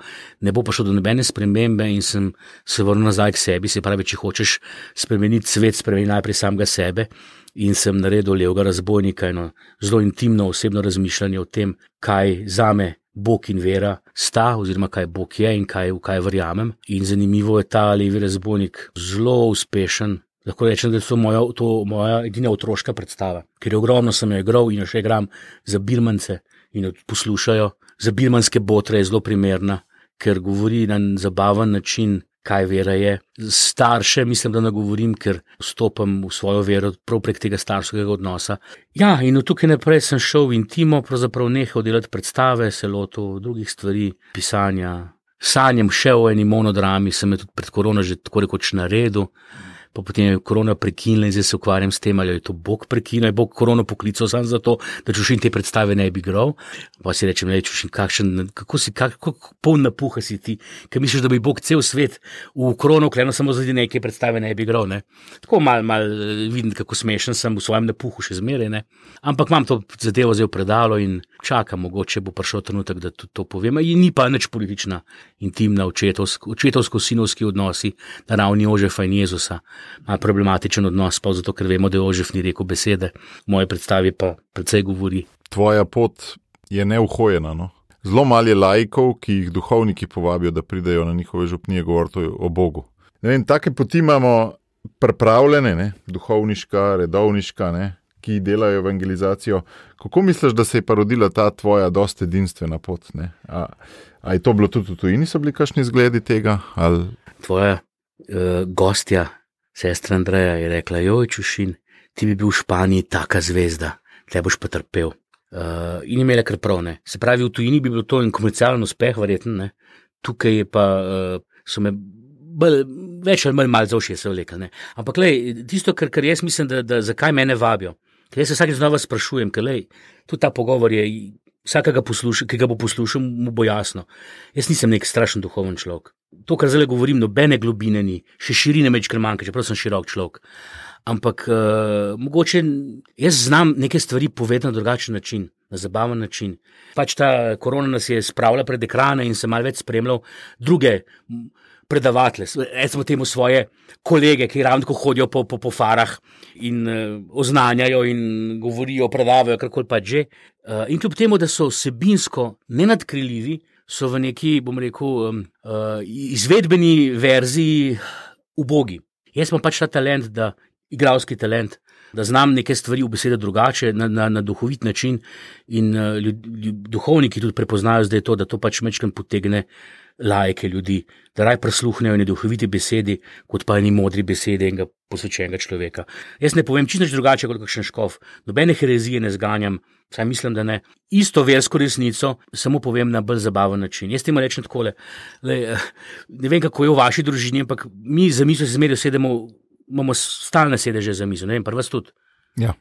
ne bo prišlo do nobene spremembe in sem se vrnil nazaj k sebi. Se pravi, če hočeš spremeniti svet, spremeni najprej samega sebe, in sem naredil Levega razbojnika, eno zelo intimno osebno razmišljanje o tem, kaj zame Bog in vera sta, oziroma kaj Bog je in v kaj verjamem. In zanimivo je ta Levi razbojnik zelo uspešen. Lahko rečem, da je to moja edina otroška predstava, ker je ogromno sem jo igral in jo še igram za birmance in jo poslušajo. Za birmanske botre je zelo primerna, ker govori na zabaven način, kaj vera je. Starše mislim, da nagovorim, ker vstopam v svojo vero prav prek tega starševskega odnosa. Ja, in od tukaj naprej sem šel v intimo, pravzaprav nehal delati predstave, se lotil drugih stvari, pisanja. Sanjam še o eni monodrami, sem jo tudi pred korono že tako rekoč naredil. Pa potem je korona prekinila in zdaj se ukvarjam s tem, ali je to Bog prekinil, je Bog korono poklical samo zato, da Čušin te predstave ne bi igral. Pa si rečem, Čušin, kako poln napuha si ti, ker misliš, da bi Bog cel svet v korono vklenil samo zaradi neke predstave ne bi igral, ne. Tako mal vidim, kako smešen sem v svojem napuhu še zmeraj, ne. Ampak imam to zadevo zdaj v predalo in čakam, mogoče bo prišel trenutek, da tudi to povem. In ni pa nič politična, intimna, očetovsko-sinovski odnosi na ravni Jožefa in Jezusa. Ima problematičen odnos, pa zato, ker vemo, da Jožef ni rekel besede, v moje predstavi pa precej govori. Tvoja pot je neuhojena, no? Zelo malo je laikov, ki jih duhovniki povabijo, da pridejo na njihove župnije govoriti o Bogu. Ne vem, take poti imamo pripravljene, ne? Duhovniška, redovniška, ne? Ki delajo evangelizacijo. Kako misliš, da se je pa rodila ta tvoja dosti edinstvena pot? Ne? A je to bilo tudi v tujini, so bili kakšni zgledi tega? Ali... Tvoja gostja, sestra Andreja, je rekla, joj Čušin, ti bi bil v Španiji taka zvezda, tle boš pa trpel. In imela kar prav, ne. Se pravi, v tujini bi bilo to en komercialen uspeh, verjetno, ne. Tukaj je pa, so me več ali manj za uši se vlekli, ne. Ampak lej, tisto, kar jaz mislim, da zakaj mene vabijo, ker jaz se vsakeč znova sprašujem, ker lej, tudi ta pogovor je, vsakega ki ga bo poslušal, mu bo jasno. Jaz nisem nek strašen duhoven človek. To, kar zdaj govorim, nobene globine ni, še širine večkrat manjka, čeprav sem širok človek. Ampak mogoče jaz znam neke stvari povedati na drugačen način, na zabaven način. Pač ta korona nas je spravila pred ekrane in sem malo več spremljal druge predavatelje, recimo temu svoje kolege, ki ravno tako hodijo po farah in oznanjajo in govorijo, predavajo, karkoli pač že. In kljub temu, da so vsebinsko nenadkriljivi, so v neki, bom rekel, izvedbeni verziji ubogi. Jaz imam pač ta talent, igralski talent, da znam neke stvari v besede drugače, na duhovit način in duhovniki tudi prepoznajo zdaj to, da to pač mečkam potegne laike ljudi, da raj prisluhnejo eni duhoviti besedi, kot pa eni modri besedi enega posvečenega človeka. Jaz ne povem čisto drugače kot kakšen škof, nobene herezije ne zganjam, saj mislim, da ne. Isto versko resnico samo povem na bolj zabaven način. Jaz temu rečem takole, ne vem, kako je v vaši družini, ampak mi za mizo se zmeraj sedemo, imamo stalne sedeže za mizo, ne vem, pa vas tudi. Ja.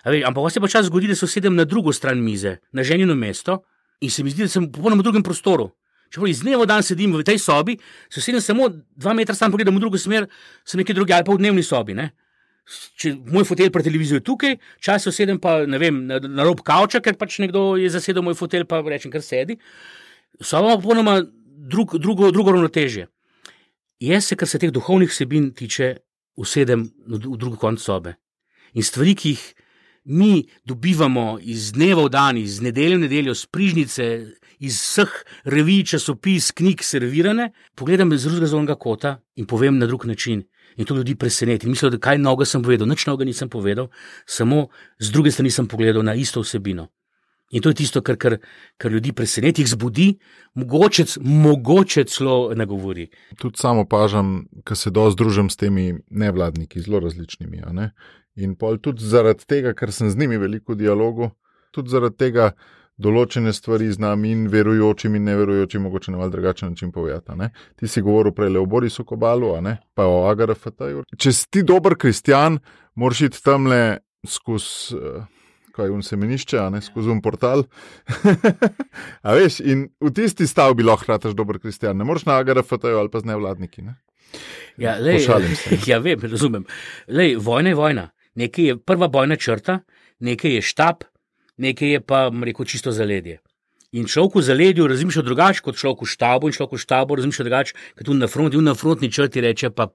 Ampak vas je pa čas zgodi, da se sedem na drugo stran mize, na ženino mesto in se mi zdi, da sem popolnoma v drugem prostoru. Čeprav iz dneva v dan sedim v tej sobi, se sedem samo 2 metra stran pogledam v drugo smer, sem nekaj drugi ali pa v dnevni sobi, ne. Če moj fotelj pred televizijo je tukaj, čas se sedem pa, ne vem, na rob kavča, ker pač nekdo je zasedel moj fotelj, pa rečem, kar sedi. So imamo popolnoma drugo ravnotežje. Jaz se, kar se teh duhovnih vsebin tiče, usedem v drugi konec sobe. In stvari, ki jih mi dobivamo iz dneva v dan, iz nedelje v nedeljo, z prižnice, iz vseh revij, časopis, knjig servirane, pogledam iz drugega zornega kota in povem na drug način. In to ljudi preseneti. Mislim, da kaj novega sem povedal, nič novega nisem povedal, samo z druge strani sem pogledal na isto vsebino. In to je tisto, kar ljudi preseneti, jih zbudi, mogoče celo nagovori. Tudi samo opažam, ko se dosti družim s temi nevladniki, zelo različnimi. In pol tudi zaradi tega, ker sem z njimi veliko v dialogu, tudi zaradi tega določene stvari znam in verujočim in neverujočim mogoče na malo drugačen način povedati. Ti si govoril prej o Borisu Kobalu, pa o AGRFT-ju. Če si ti dober kristjan, moraš iti tamle skozi kaj semenišče, skozi portal. A veš, in v tisti stavbi lahko rataš dober kristjan. Ne moreš na AGRFT-ju ali pa z nevladniki. Ja, pošalim se. Ja, vem, razumem. Vojna je vojna. Nekaj je prva bojna črta, nekaj je štab, nekaj je pa, rekel, čisto zaledje. In človek v zaledju razmišlja drugače kot človek v štabu, in človek v štabu razmišlja drugače kot tudi na fronti. In na frontni črti reče, pa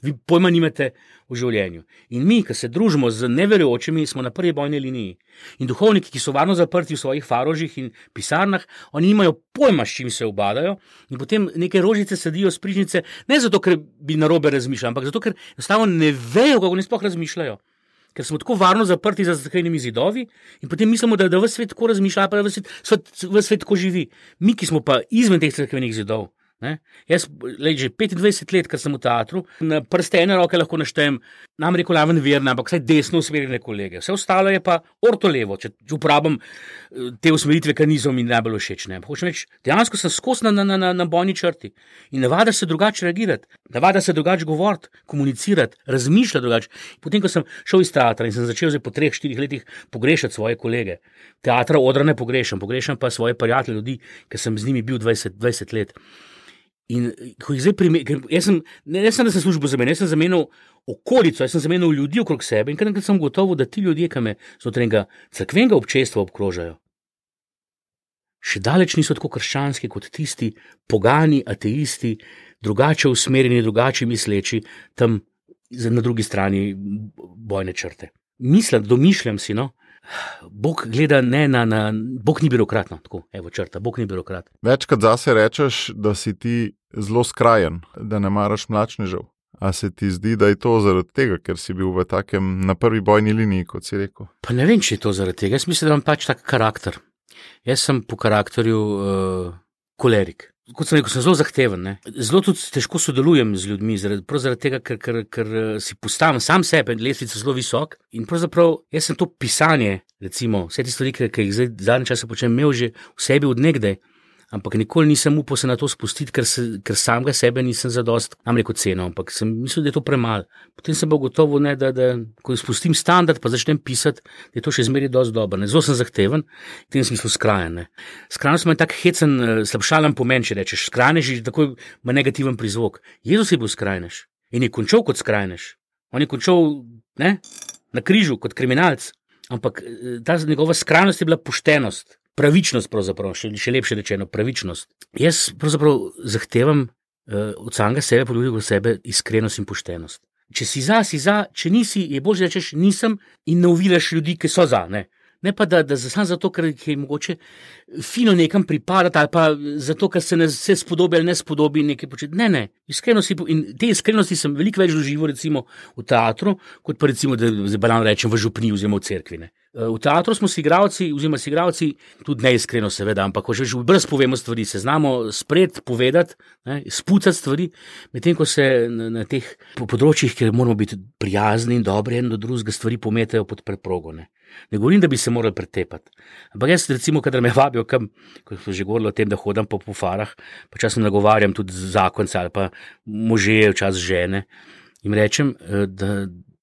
vi pojma nimate v življenju. In mi, ki se družimo z neverujočimi, smo na prvi bojni liniji. In duhovniki, ki so varno zaprti v svojih farožih in pisarnah, oni nimajo pojma, s čim se ubadajo, in potem neke rožice sadijo s prižnice, ne zato, ker bi narobe razmišljali, ampak zato, ker enostavno ne vejo, kako ne sploh razmišljajo. Ker smo tako varno zaprti za zaklenjenimi zidovi in potem mislimo, da ves svet tako razmišlja, pa da ves svet tako živi. Mi, ki smo pa izven teh zaklenjenih zidov. Jaz že 25 let, ker sem v teatru, na prste ene roke lahko naštejem, nam rekel Laven Verna, ampak vsaj desno usmerjene kolege. Vse ostalo je pa ortolevo, če uporabim te usmeritve, kar niso mi najbolj všeč. Hočem reči, dejansko sem skozi na bojni črti in navada se drugače reagirati, navada se drugače govoriti, komunicirati, razmišljati drugače. Potem, ko sem šel iz teatra in sem začel po 3-4 letih pogrešati svoje kolege, teatra Odra ne pogrešam pa svoje prijatelje, ljudi, ker sem z njimi bil 20 let. In ko jih zdaj jaz sem, da sem službo zamenil, jaz sem zamenil okolico, jaz sem zamenil ljudi okrog sebe in kar sem gotovo, da ti ljudje, ki me znotraj cerkvenega občestva obkrožajo, še daleč niso tako krščanski kot tisti pogani, ateisti, drugače usmerjeni, drugače misleči, tam na drugi strani bojne črte. Domišljam si, Bog gleda Bog ni birokrat, tako, evo črta, Bog ni birokrat. Večkrat zase rečeš, da si ti zelo skrajen, da ne maraš mlačnežev. A se ti zdi, da je to zaradi tega, ker si bil v takem na prvi bojni liniji, kot si rekel? Pa ne vem, če je to zaradi tega. Jaz mislim, da imam pač tak karakter. Jaz sem po karakterju kolerik. Kot sem rekel, sem zelo zahteven. Zelo tudi težko sodelujem z ljudmi, prav zaradi tega, ker si postavim sam sebe, lestvica zelo visok. In pravzaprav jaz sem to pisanje, recimo, vse te stvari, ki jih zdaj zadnje čase počnem, imel že v sebi od nekdaj, ampak nikoli nisem upal se na to spustiti, ker samega sebe nisem zadost, nam rekel ceno, ampak sem mislil, da je to premalo. Potem sem bil gotovo, da ko spustim standard, pa začnem pisati, da je to še zmeraj dosti dobro. Zelo sem zahteven, v tem smislu skrajen. Skrajnost ima tak hecen, slabšalen pomen, če rečeš. Skrajnež je takoj ima negativen prizvok. Jezus je bil skrajnež in je končal kot skrajnež. On je končal na križu kot kriminalc, ampak ta njegova skrajnost je bila poštenost. Pravičnost, pravzaprav, še lepše rečeno, pravičnost. Jaz pravzaprav zahtevam od samega sebe, po ljudih od sebe, iskrenost in poštenost. Če si za, če nisi, je bolj, da rečeš nisem in ne oviraš ljudi, ki so za. Ne pa, da samo zato, ker je mogoče fino nekam pripadati, ali pa zato, ker se ne vse spodobi ali ne spodobi nekaj početi. Ne. Iskrenosti, in te iskrenosti sem veliko več doživel recimo v teatru, kot pa recimo, da banalno rečem, v župniji oziroma v cerkvi. V teatru smo si igralci, tudi neiskreno seveda, ampak že brez povemo stvari, se znamo spred povedati, spucati stvari, medtem ko se na teh področjih, kjer moramo biti prijazni in dobri, en do drugega stvari pometajo pod preprogo. Ne govorim, da bi se morali pretepati. Ampak jaz recimo, kadar me vabijo kam, ko smo že govorili o tem, da hodam po farah, pa časem nagovarjam tudi zakonce ali pa može, včasih žene, jim rečem,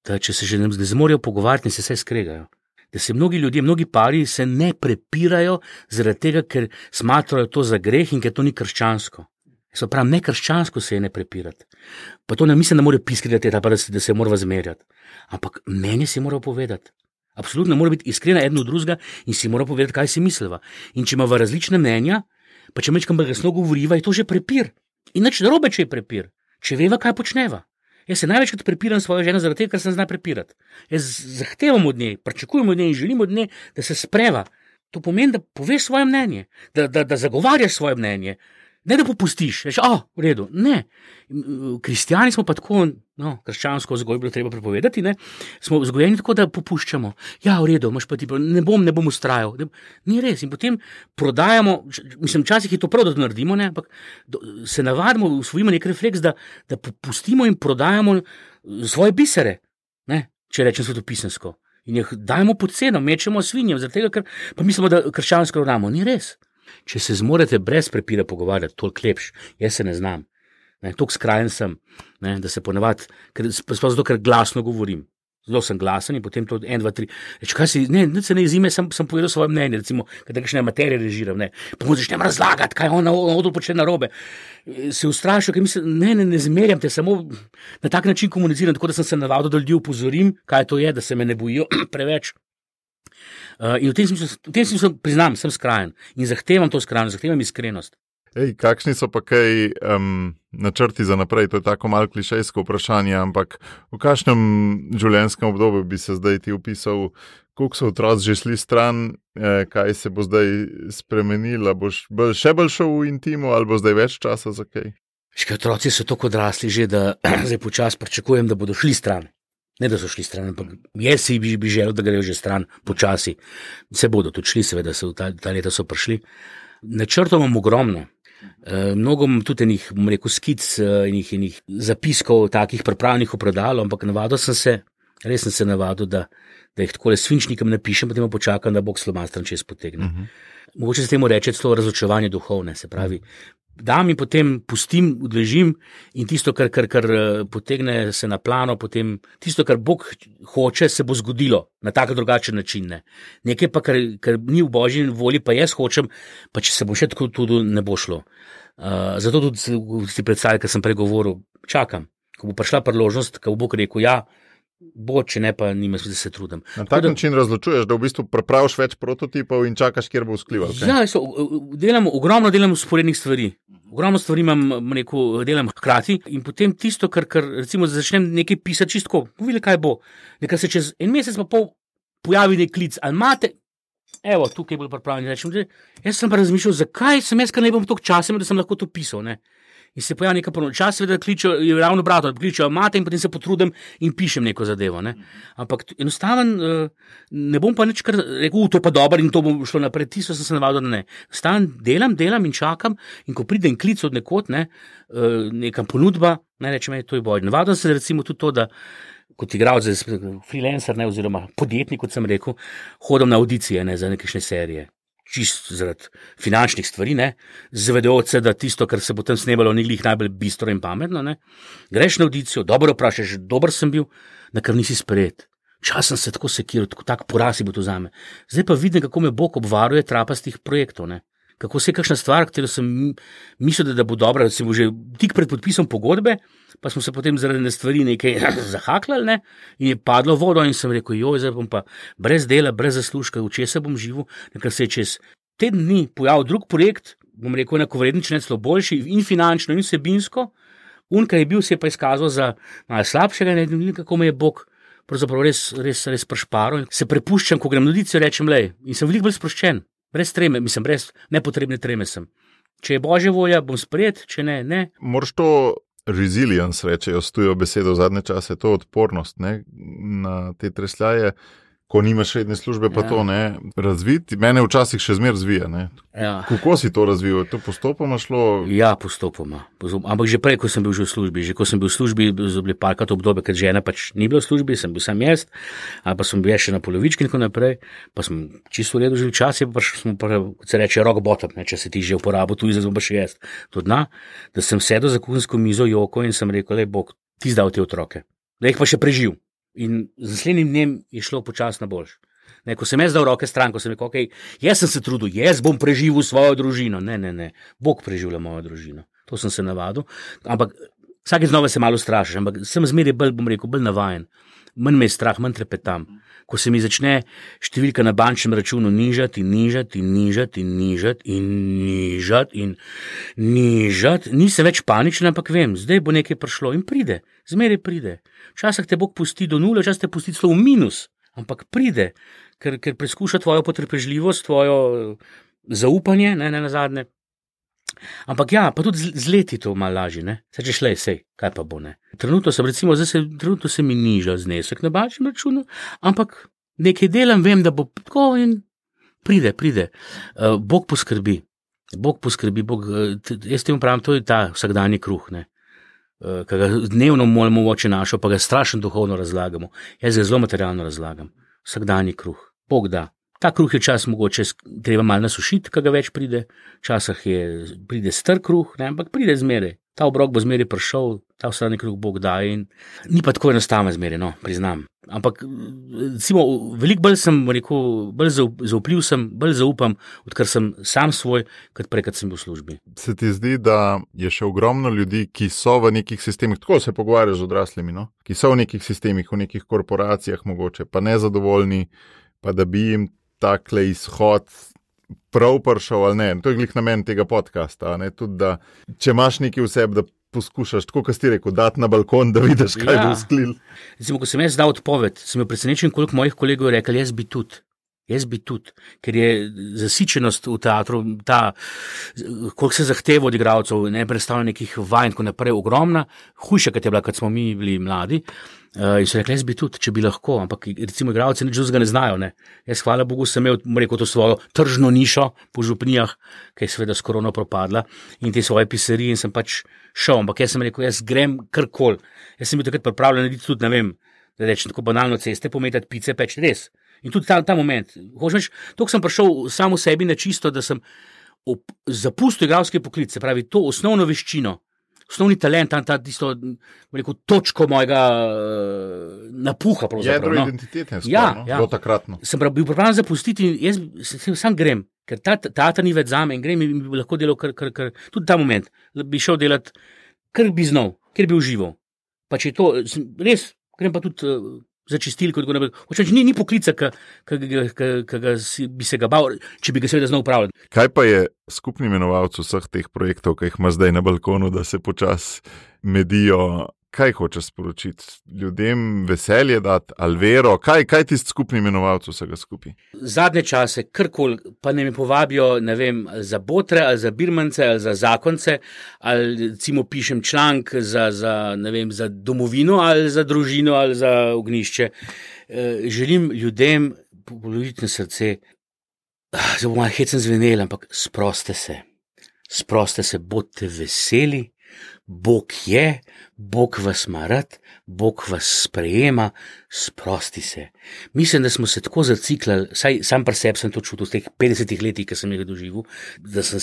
da če se že ne zmorejo pogovarjati, se vse skregajo. Da se mnogi ljudje, mnogi pari se ne prepirajo zaradi tega, ker smatrajo to za greh in ker to ni krščansko. Se pravi, ne krščansko se je ne prepirati. Pa to ne mislim, da morajo piskati, da se mora zmerjati. Ampak meni si mora povedati. Absolutno mora biti iskrena eden od drugega in si mora povedati, kaj si misliva. In če ima različne mnenja, pa če mečkam glasno govoriva, je to že prepir. In nič narobe, če je prepir. Če veva, kaj počneva. Jaz se največkrat prepiram svojo ženo zaradi tega, ker se zna prepirati. Jaz zahtevam od nje, pričakujem od nje in želim od nje, da se spreva. To pomeni, da poveš svoje mnenje, da zagovarjaš svoje mnenje. Ne da popustiš, rečeš, v redu, ne. Kristjani smo pa tako, krščansko vzgojo bilo treba prepovedati, ne, smo vzgojeni tako, da popuščamo. Ja, v redu, imaš pa ti, ne bom ustrajal. Ni res. In potem prodajamo, včasih je to prav, da to naredimo, ne, ampak se navadimo, usvojimo nek refleks, da popustimo in prodajamo svoje bisere, ne, če rečem svetopisemsko. In jih dajemo pod ceno, mečemo svinjem, zaradi tega, ker pa mislimo, da krščansko ravnamo. Ni res. Če se zmorete brez prepira pogovarjati, toliko lepš, jaz se ne znam. Toliko skrajen sem, da se ponavadi, zato ker glasno govorim. Zelo sem glasen in potem to 1, 2, 3. Kaj si, ne se ne izime, sem povedal svoje mnenje, recimo, kada kakšne materije režiram, pa mu začnem razlagati, kaj on odl počne narobe. Se ustrašil, ker mislim, ne zmerjam te, samo na tak način komuniciram, tako da sem se navadil, da ljudi upozorim, kaj to je, da se me ne bojijo preveč. In v tem smislu priznam, sem skrajen in zahtevam to skrajnost, zahtevam iskrenost. Kakšni so pa kaj načrti za naprej? To je tako malo klišejsko vprašanje, ampak v kakšnem življenjskem obdobju bi se zdaj ti opisal, koliko so otroci že šli stran, kaj se bo zdaj spremenilo, boš še bolj šel v intimo ali bo zdaj več časa za kaj? Otroci so tako odrasli že, da zdaj počasi pričakujem, da bodo šli stran. Ne, da so šli stran, ampak jaz si bi želel, da grejo že stran počasi. Se bodo tudi šli, seveda, ta leta so prišli. Načrtov imam ogromno. Mnogo imam tudi enih, skic, enih zapiskov, takih pripravljenih v predalu, ampak res sem se navadil, da jih takole svinčnikom napišem, potem počakam, da Bog slomastran čez potegne. Mogoče se temu reče celo razočevanje duhovne, se pravi, dam in potem pustim, odležim in tisto, kar potegne se na plano, potem tisto, kar Bog hoče, se bo zgodilo na tak drugačen način. Ne. Nekaj pa, kar ni v Božji volji, pa jaz hočem, pa če se bo še tako tudi ne bo šlo. Zato tudi si predstavljam, kar sem pregovoril, čakam, ko bo prišla priložnost, ko bo Bog rekel, ja, bo, če ne, pa nima smisla, da se trudim. Na tak način razločuješ, da v bistvu prepraviš več prototipov in čakaš, kjer bo vzklival. Ja, ogromno delam usporednih stvari. Ogromno stvari delam hkrati in potem tisto, kar recimo začnem nekaj pisati čistko, videli, kaj bo. Nekaj se čez en mesec pa pol pojavi nek klic, ali imate, evo, tukaj je bolj pripravljen, rečem, jaz sem pa razmišljal, zakaj sem jaz, kar ne bom toliko časa, da sem lahko to pisal, ne. In se pojavi neka ponovno čas, seveda kličejo, je ravno obratno, kličejo mate in potem se potrudim in pišem neko zadevo, ne. Ampak enostaven, ne bom pa nič kar rekel, to je pa dobro in to bom šlo naprej, tisto sem se navadil, da ne. Enostaven delam in čakam in ko pride en klic od nekod, ne, neka ponudba, ne rečem, to je boj. Navadil se recimo tudi to, da kot igralec, freelancer, ne, oziroma podjetnik, kot sem rekel, hodim na audicije, ne, za nekakšne serije. Čist zaradi finančnih stvari, ne, zavedajoč se, da tisto, kar se bo tam snemalo, ni glih najbolj bistro in pametno, ne. Greš na audicijo, dobro vprašaš, dober sem bil, na kar nisi sprejet. Čas sem se tako sekiral, tak poraz bo to zame. Zdaj pa vidim, kako me Bog obvaruje trapastih projektov, ne. Kako se je kakšna stvar, katero sem mislil, da bo dobra, da se bo že tik pred podpisom pogodbe, pa smo se potem zaradi ne stvari nekaj zahaklali, ne, in je padlo vodo in sem rekel, zdaj bom pa brez dela, brez zaslužka, v česa bom živel, nekaj se je čez teden dni pojavil drug projekt, bom rekel, enakovredni, če ne celo boljši, in finančno, in vsebinsko, kar je bil, se je pa izkazal za malo slabšega, ne, kako me je Bog pravzaprav res prešparal, in se prepuščam, ko grem na audicijo, rečem, in sem veliko bolj sproščen. Brez treme, brez nepotrebne treme sem. Če je Božja volja, bom sprejet, če ne, ne. Moraš to resilience, rečejo s tujo besedo v zadnje čase, to odpornost, ne, na te tresljaje, ko nimaš redne službe, pa to ne, razviti. Mene včasih še zmer razvija, ne. Ja. Kako si to razvil? Je to postopoma šlo? Ja, postopoma. Ampak že prej, ko sem bil že v službi, so bili parkrat obdobje, ker žena pač ni bila v službi, sem bil sam jaz, ali pa sem bil še na polovički in tako naprej, pa sem čisto v redu živil čas, pa smo pa, kot se reče, rock bottom, ne, če se ti že uporabil, tu izazvom pa še jaz. To dna, da sem sedel za kuhinjsko mizo joko in sem rekel, Bog, ti zdal te otroke, da jih pa še preživ. In z naslednjim dnem je šlo počasno boljš. Ko sem jaz dal roke stran, ko sem rekel, jaz sem se trudil, jaz bom preživel svojo družino. Ne, Bog preživlja mojo družino. To sem se navadil. Ampak Vsake znova se malo strašiš, ampak sem zmeraj bolj navajen. Manj me je strah, manj trepetam. Ko se mi začne številka na bančnem računu nižati, nisem več paničen, ampak vem, zdaj bo nekaj prišlo in pride, zmeraj pride. Včasih te Bog pusti do nule, včasih te pusti celo v minus, ampak pride, ker preskuša tvojo potrpežljivost, tvojo zaupanje, ne nazadnje. Ampak ja, pa tudi z leti to malo lažje, ne? Saj češ lej, sej, kaj pa bo, ne? Trenutno se mi niža znesek na bančnem računu, ampak nekaj delam, vem, da bo tako in pride. Bog poskrbi, jaz temu pravim, to je ta vsakdanji kruh, ne? Ki ga dnevno molimo v oči našo, pa ga strašno duhovno razlagamo. Jaz ga zelo materialno razlagam. Vsakdanji kruh, Bog da. Ta kruh je čas mogoče treba malo nasušiti, kaj ga več pride, včasih pride star kruh, ne, ampak pride zmeraj. Ta obrok bo zmeraj prišel, ta vsakdanji kruh Bog da in ni pa tako enostavno zmeraj, no, priznam. Ampak, recimo, veliko bolj sem rekel, bolj zaupljiv sem, bolj zaupam, odkar sem sam svoj, kot prej, kad sem bil v službi. Se ti zdi, da je še ogromno ljudi, ki so v nekih sistemih, tako se pogovarjajo z odraslimi, no? Ki so v nekih sistemih, v nekih korporacijah mogoče, pa nezadovoljni, pa da bi jim takle izhod prav prišel ali ne. To je glih namen tega podcasta, ne? Tudi da, če imaš nekaj v sebi, da poskušaš, tako kot si rekel, dati na balkon, da vidiš, kaj bo sklil. Recimo, ko sem jaz dal odpoved, sem bil presenečen, koliko mojih kolegov je rekel, jaz bi tudi, ker je zasičenost v teatru, koliko se zahteva od igralcev, ne predstavlja nekih vaj in tako naprej, ogromna, hujša, kot je bila, kad smo mi bili mladi. In so rekli, jaz bi tudi, če bi lahko, ampak recimo igralci nič drugega ne znajo, ne. Jaz, hvala Bogu, sem imel, rekel, to svojo tržno nišo po župnijah, ki je seveda s korono propadla, in te svoje piserije in sem pač šel, ampak jaz sem rekel, jaz grem karkoli. Jaz sem bil takrat pripravljen narediti tudi, ne vem, da rečem tako banalno ceste, pometati pice, peč, res. In tudi ta moment, toliko sem prišel sam v sebi na čisto, da sem zapustil igralski poklic, se pravi, to osnovno veščino, osnovni talent, tisto, rekel, točko mojega napuha. Jedro identitete, bilo takratno. Sem bil pripravljen zapustiti in jaz sam grem, ker ta ni več zame in grem in bi lahko delal kar, tudi ta moment, bi šel delati, kar bi znal, kjer bi užival. Pa če je to, res, grem pa tudi za čistilko, ni poklica, ki bi se ga bal, če bi ga seveda znal upravljati. Kaj pa je skupni imenovalec vseh teh projektov, ki jih ima zdaj na balkonu, da se počasi medijo? Kaj hočeš sporočiti? Ljudem veselje dati, ali vero? Kaj tisti skupni imenovalec vsega skupaj? Zadnje čase, karkoli, pa ne mi povabijo, ne vem, za botre, ali za birmance, ali za zakonce, ali recimo pišem članek za domovino, ali za družino, ali za ognjišče. Želim ljudem položiti na srce, zdaj bo malo hecen zvenel, ampak sproste se, bodite veseli. Bog je, Bog vas ima rad, Bog vas sprejema, sprosti se. Mislim, da smo se tako zaciklali, saj sam pri sebi sem to čutil v teh 50 letih, ki sem jih doživel, da sem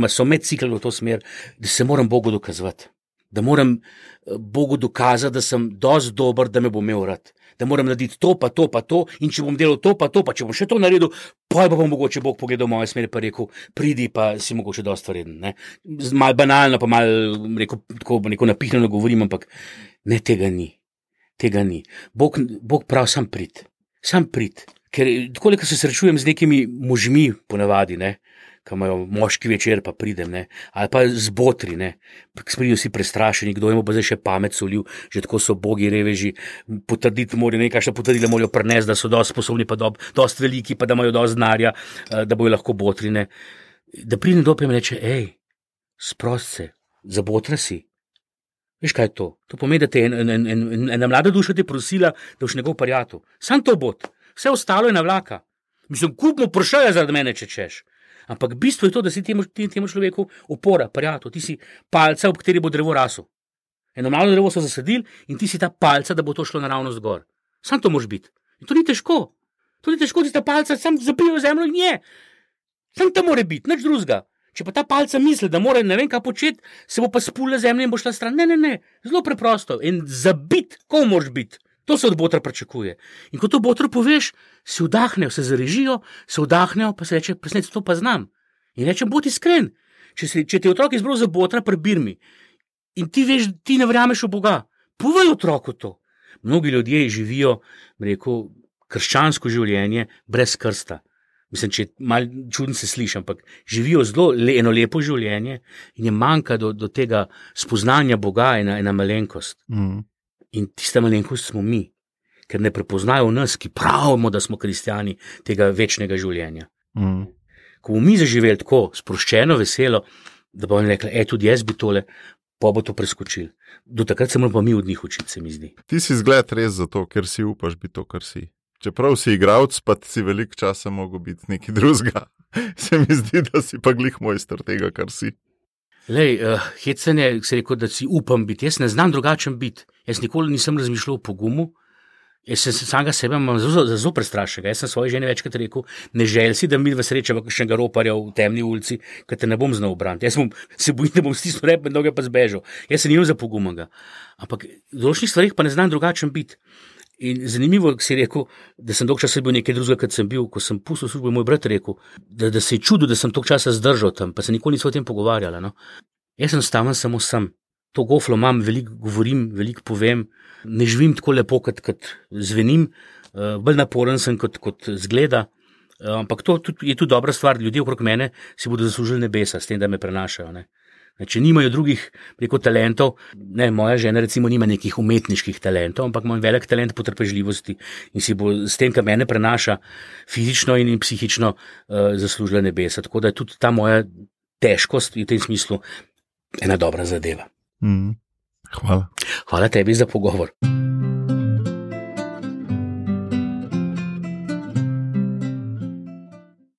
so me ciklali v to smer, da se moram Bogu dokazovati. Da moram Bogu dokazati, da sem dosti dober, da me bo imel rad. Da moram narediti to, pa to, in če bom delal to, pa če bom še to naredil, pa bom mogoče Bog pogledal moje smeri, pa rekel, pridi, pa si mogoče dosti vreden, ne. Mal banalno, pa mal, rekel, tako neko napihnjeno govorim, ampak ne, tega ni. Bog prav sam prid. Ker tako, ko se srečujem z nekimi možmi ponavadi, ne, ki imajo moški večer, pa pridem, ne, ali pa z botri, ne, pridijo si prestrašeni, kdo jim bo zdaj še pamet solil, že tako so bogi reveži, potrditi morajo, nekakšna potrdila morajo prinesti, da so dosti sposobni, pa dosti veliki, pa da imajo dosti znarja, da bojo lahko botri, ne. Da pridem do pa in reče, sprost se, zabotra si. Veš, kaj je to? To pomeni, da te ena mlada duša te prosila, da boš njegov parjatu. Sam to bot, vse ostalo je na vlaka. Mislim, kupmo pršaja zaradi mene, če češ. Ampak bistvo je to, da si temu človeku opora, parjatu, ti si palca, ob kateri bo drevo rasel. Eno malo drevo so zasadili in ti si ta palca, da bo to šlo naravnost gor. Sam to moraš biti. In to ni težko. Ti ta palca sam zapijo v zemljo in je. Sam to mora biti, nič drugega. Če pa ta palca misli, da mora ne vem kaj početi, se bo pa spula zemlja in bo šla stran. Ne. Zelo preprosto. In zabit, ko moraš biti. To se od botra pričakuje. In ko to botru poveš, se vdahnejo, se zarežijo, pa se reče, presnec, to pa znam. In rečem, bodi iskren. Če te otrok izbral za botra pri Birmi In ti veš, ti ne verjameš v Boga. Povej otroku to. Mnogi ljudje živijo, rekel, krščansko življenje brez krsta. Mislim, če malo čudno se sliši, ampak živijo zelo eno lepo življenje in je manjka do tega spoznanja Boga ena malenkost. In tista malenkost smo mi, ker ne prepoznajo v nas, ki pravimo, da smo kristjani tega večnega življenja. Ko bomo mi zaživeli tako sproščeno, veselo, da bomo rekli, tudi jaz bi tole, pa bo to preskočil. Do takrat se moramo pa mi od njih učiti, se mi zdi. Ti si zgled res zato, ker si upaš biti to, kar si. Čeprav si igralec, pa si veliko časa mogel biti nekaj drugega. Se mi zdi, da si pa glih mojster tega, kar si. Lej, hecanje, se rekel, da si upam biti. Jaz ne znam drugačen biti. Jaz nikoli nisem razmišljal o pogumu. Jaz sem samega sebe zelo prestrašenega. Jaz sem svoji ženi večkrat rekel, ne želj si, da mi v srečava kakšnega roparja v temni ulici, ker te ne bom znal braniti. Jaz se bojim, da bom stisnil rep med noge pa zbežal. Jaz se nimam za pogumega. Ampak v določenih stvarih pa ne znam drugačen biti. In zanimivo, si rekel, da sem dolgo časa bil nekaj drugega, kot sem bil, ko sem pustil službo, moj brat rekel, da se je čudil, da sem dolgo časa zdržal tam, pa se nikoli nismo o tem pogovarjali. No? Jaz sem staven samo sem. To goflo imam, veliko govorim, veliko povem, ne živim tako lepo, kot zvenim, bolj naporen sem, kot zgleda, ampak to je tudi dobra stvar, ljudje okrog mene si bodo zaslužili nebesa s tem, da me prenašajo. Ne? Če nimajo drugih talentov, ne, moja žena recimo nima nekih umetniških talentov, ampak ima velik talent potrpežljivosti in si bo s tem, kar mene prenaša fizično in psihično zaslužila nebesa. Tako da je tudi ta moja težkost v tem smislu ena dobra zadeva. Hvala. Hvala tebi za pogovor.